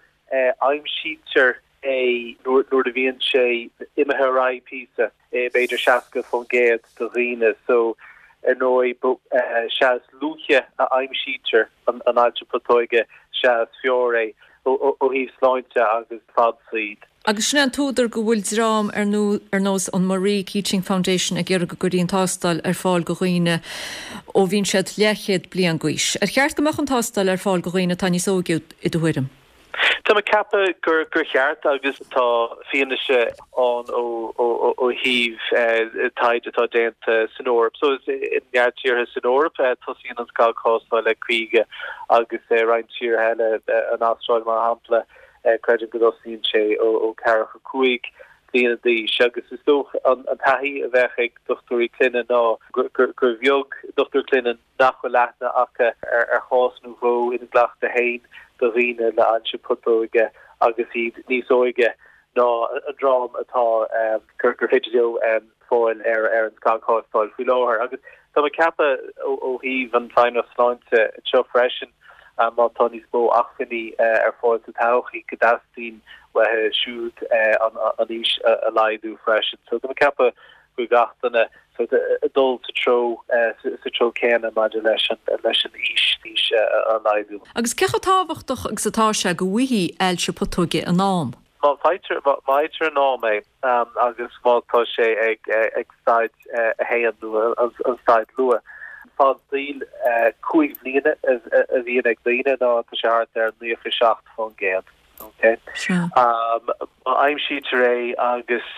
aimsítear é nuair a bhíonn sé imithe ar aghaidh píosa, b'fhéidir seasca faoin gcéad de dhaoine. So, ar ndóigh, sea is luaithe a aimsítear an ailse putóige, sea is fearr é ó thaobh sláinte agus fad saoil. Agus sin é an t-údar go bhfuil dream ar nós an Marie Keating Foundation ag iarraidh go gcuirfí an tástáil ar fáil go dhaoine ó bhíonn siad leathchéad bliain d'aois. Ar cheart go mbeadh an tástáil ar fáil go dhaoine atá níos óige i do thuairim? Tá mé ag ceapadh gur gur cheart agus tá fianaise ann ó ó thaobh taighde atá déanta san Eoraip. So i neart tíortha san Eoraip tosaíonn an scagthástáil ag caoga agus roinnt tíortha eile, an Astráil mar shampla, creidim go dtosaíonn sé ó ó ceathracha cúig bliana d'aois. Agus is dócha an taithí a bheadh ag dochtúirí clainne ná gur gur bheag dochtúir clainne nach bhfuil aithne acu ar chás nó dhó ina gcleachtadh féin do dhaoine le ailse putóige agus iad níos óige ná an dream atá gur féidir leo fáil ar an scagthástáil faoi láthair. Agus tá mé ag ceapadh ó thaobh an Feidhmeannacht Sláinte anseo freisin, má tá níos mó acmhainní ar fáil sa todhchaí, go dteastaíonn uathu siúd an aois a laghdú freisin. So tá mé ag ceapadh go bhfuil gach duine sort ag dul sa treo sa treo céanna maidir leis an leis an aois aois a laghdú. Agus cé chomh tábhachtach agus atá sé go bhfaighfí ailse putóige in am? Má fhaightear má fhaightear in am é agus má tá sé ag ag staid a haon nó an staid luath, fad saoil cúig bhliana a bhíonn ag daoine ná tá sé thart ar naocha seacht faoin gcéad. Ok. Má aimsítear é agus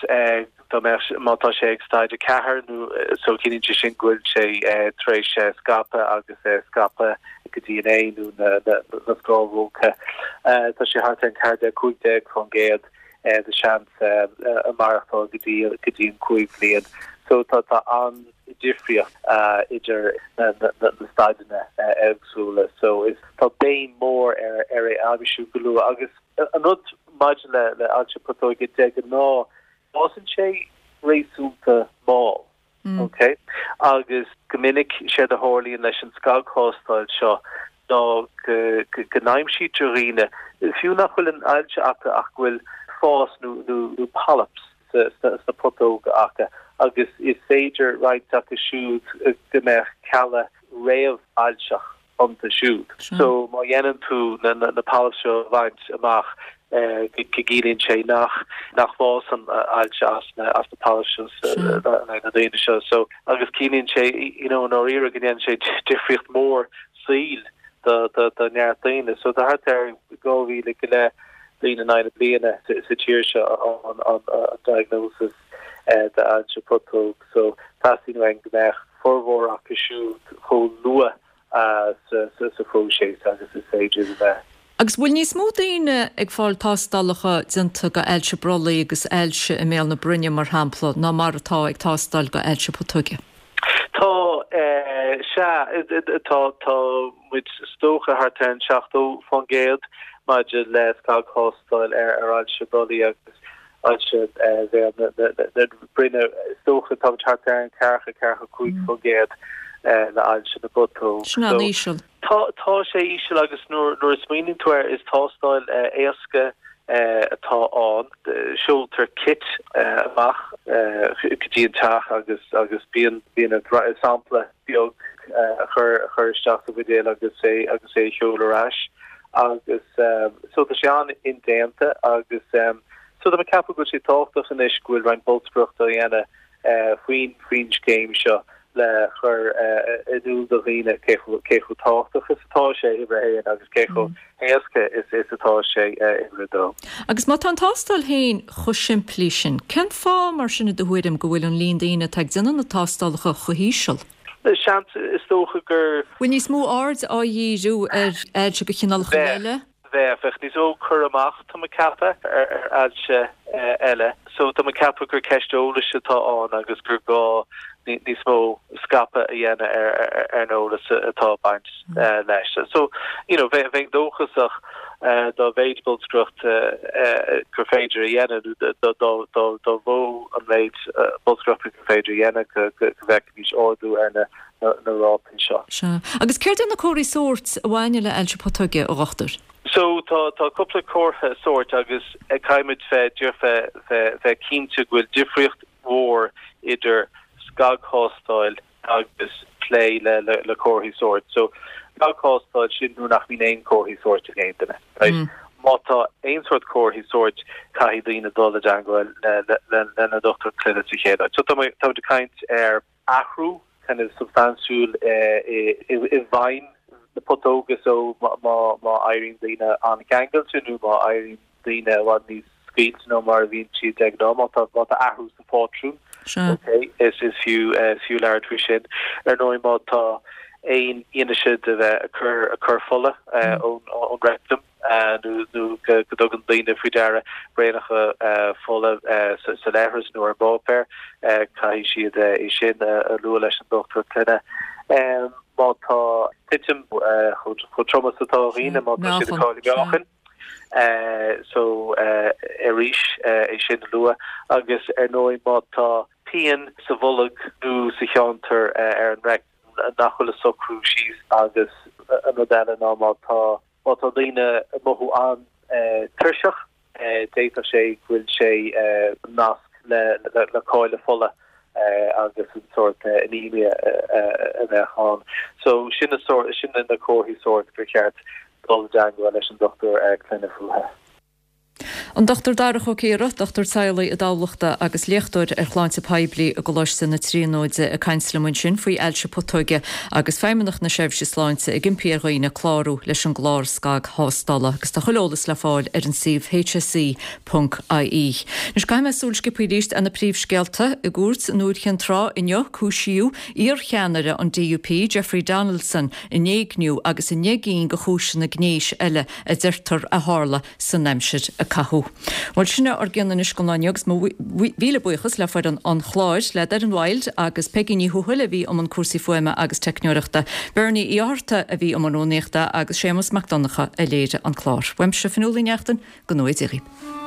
dá mbeadh, má tá sé ag staid a ceathair nó so ciallaíonn sé sin go bhfuil sé tar éis scaipeadh agus scaipeadh go dtí an ae nó na scamhóga, tá sé thart ar an ceathair déag, cúig déag faoin gcéad de seans maireachtáil go dtí go dtí an cúig bhliain. So tá tá an-difríocht idir na na staideanna éagsúla. So is tá béim mór ar ar é a aimsiú go luath agus an rud maidir le le ailse putóige de ghnáth fásann sé réasúnta mall. Ok? Agus go minic séard a tharlaíonn leis an scagthástáil seo ná go go n-aimsítear dhaoine fiú nach bhfuil an ailse acu ach go bhfuil fás nó nó nó polyps sna putóga acu agus is féidir roinnt acu siúd go mbeadh cealla réamh-ailseach iontu siúd. So má dhéanann tú na na poilp seo a bhaint amach go gciallaíonn sé nach nach bhfásann ailse as na as na poilp seo na daoine seo. So agus ciallaíonn sé you know ndáiríre go ndéanann sé difríocht mór saoil do do do neart daoine. So tá thart ar dhá mhíle go leith daoine in aghaidh na bliana sa tír seo an an an diagnosis d'ailse putóg. So teastaíonn uainn go mbeadh formhór acu siúd chomh luath sa phróiseas agus is féidir a bheith. Agus bhfuil níos mó daoine ag fáil tástálacha déanta go ailse brollaigh agus ailse i mbéal na broinne, mar shampla, ná mar atá ag tástáil go ailse putóige? Tá, sea, tá, tá muid is dócha thart ar an seachtó faoin gcéad maidir le scagthástáil ar ailse brollaigh agus ailse bhéal na broinne. Is dócha tá muid thart ar an ceathracha, ceathracha cúig faoin gcéad le ailse na bputóg. Sin an-íseal. Tá, tá sé íseal agus nuair, nuair a smaoiníonn tú air is tástáil éasca atá ann. Seoltar kit amach go dtí an teach agus, agus bíonn, bíonn sampla beag a chur, a chur isteach sa bhuidéal agus é, agus é a sheoladh ar ais. Agus so tá sé an-indéanta agus so tá mé ag ceapadh go bhfuil sé tábhachtach anois go bhfuil roinnt bolscaireachta á dhéanamh faoin, faoin scéim seo le chur in iúl do dhaoine cé chomh, cé chomh tábhachtach is atá sé uimhir a haon agus cé chomh héasca is, is atá sé uimhir a dó. Agus má tá an tástáil féin chomh simplí sin, cén fáth mar sin i do thuairim go bhfuil an líon daoine atá ag déanamh na tástálacha chomh híseal? Seans, is dócha gur. Bhfuil níos mó aird á dhíriú ar ailse de chineálacha eile? Bheadh, bheadh níos mó cur amach, tá mé ag ceapadh, ar ailse eile. So tá mé ag ceapadh gur ceist eolais atá ann agus gur gá níos mó scaipeadh a dhéanamh ar an eolas atá ag baint leis. So, you know, bheinn dóchasach dá mhéid bolscaireacht gur féidir a dhéanamh, dá mhó an méid bolscaireachta gur féidir a dhéanamh, go bhfeicfimis ardú ar na rátaí seo. Sea. Agus céard iad na comharthaí sóirt a bhaineann le hailse putóige, a dhochtúir? So, tá tá cúpla comhartha sóirt agus caithfimid bheith bheith bheith cinnte go bhfuil difríocht mhór idir scagthástáil agus plé le le comharthaí sóirt. So, scagthástáil, sin nuair nach mbíonn aon chomharthaí sóirt ag aon duine, right? Má tá aon sórt comharthaí sóirt, caithfidh daoine dul i dteangmháil le le lena ndochtúir clainne sa chéad áit. So tá muid ag caint ar athrú kind of substaintiúil i i bhfeidhm na putóga so má má éiríonn daoine an-cheangailte nó má éiríonn daoine i bhfad níos scaoilte ná mar a bhíonn siad de ghnáth, má tá má tá athrú sa phátrún, ok, is is fiú is fiú labhairt faoi sin. Ar ndóigh má tá aon fhianaise de bheith ag cur ag cur fola ón ón rectum nó nó go go dtugann daoine faoi deara braonacha fola sa sa leithreas nó ar an bpáipéar, caithfidh siad é sin a lua leis an dochtúir clainne. Má tá titim chomh trom is atá daoine, má tá siad ag cailleadh meáchain. So arís é sin a lua agus ar ndóigh má tá pian sa bholg nó sa cheantar ar an rectum nach bhfuil ag socrú síos agus an rud eile ná má tá má tá daoine ag mothú an-tuirseach d'fhéadfadh sé go bhfuil sé nasc le le cailleadh fola agus an sórt anemia a bheadh ann. So sin na sórt sin na comharthaí sóirt gur cheart dul i dteangmháil leis an dochtúir clainne fúthu. An Dochtúir Darach Ó Ciardha, dochtúir teaghlaigh i dTamhlacht agus léachtóir ar shláinte poiblí i gColáiste na Tríonóide ag caint liom ansin faoi ailse putóige agus Feidhmeannacht na Seirbhíse Sláinte ag impí ar dhaoine clárú leis an gclár scagthástála agus tá chuile eolas le fáil ar an suíomh hse ponc ie. Anois caithfidh mé súil sciobtha arís ar na príomhscéalta. I gcúirt i nDúiche Chinn Trá inniu cúisíodh iarcheannaire an D U P Jeffrey Donaldson in éigniú agus i ndeich gcinn de chúiseanna gnéis eile a deirtear a tharla san aimsir a caitheadh. Bhuel, sin é ár gcion anois don lá inniu agus mo mhíle buíochas le foireann an chláir, le Doireann Wilde agus Peigí Ní Thuathail a bhí i mbun cúrsaí fuaime agus teicneoireachta, Bernie Uí Fhátharta a bhí i mbun rúnaíochta agus Séamus Mac Donncha a léirigh an clár. Uaimse, Fionnuala Ní Neachtain, go ngnóthaí Dia dhaoibh.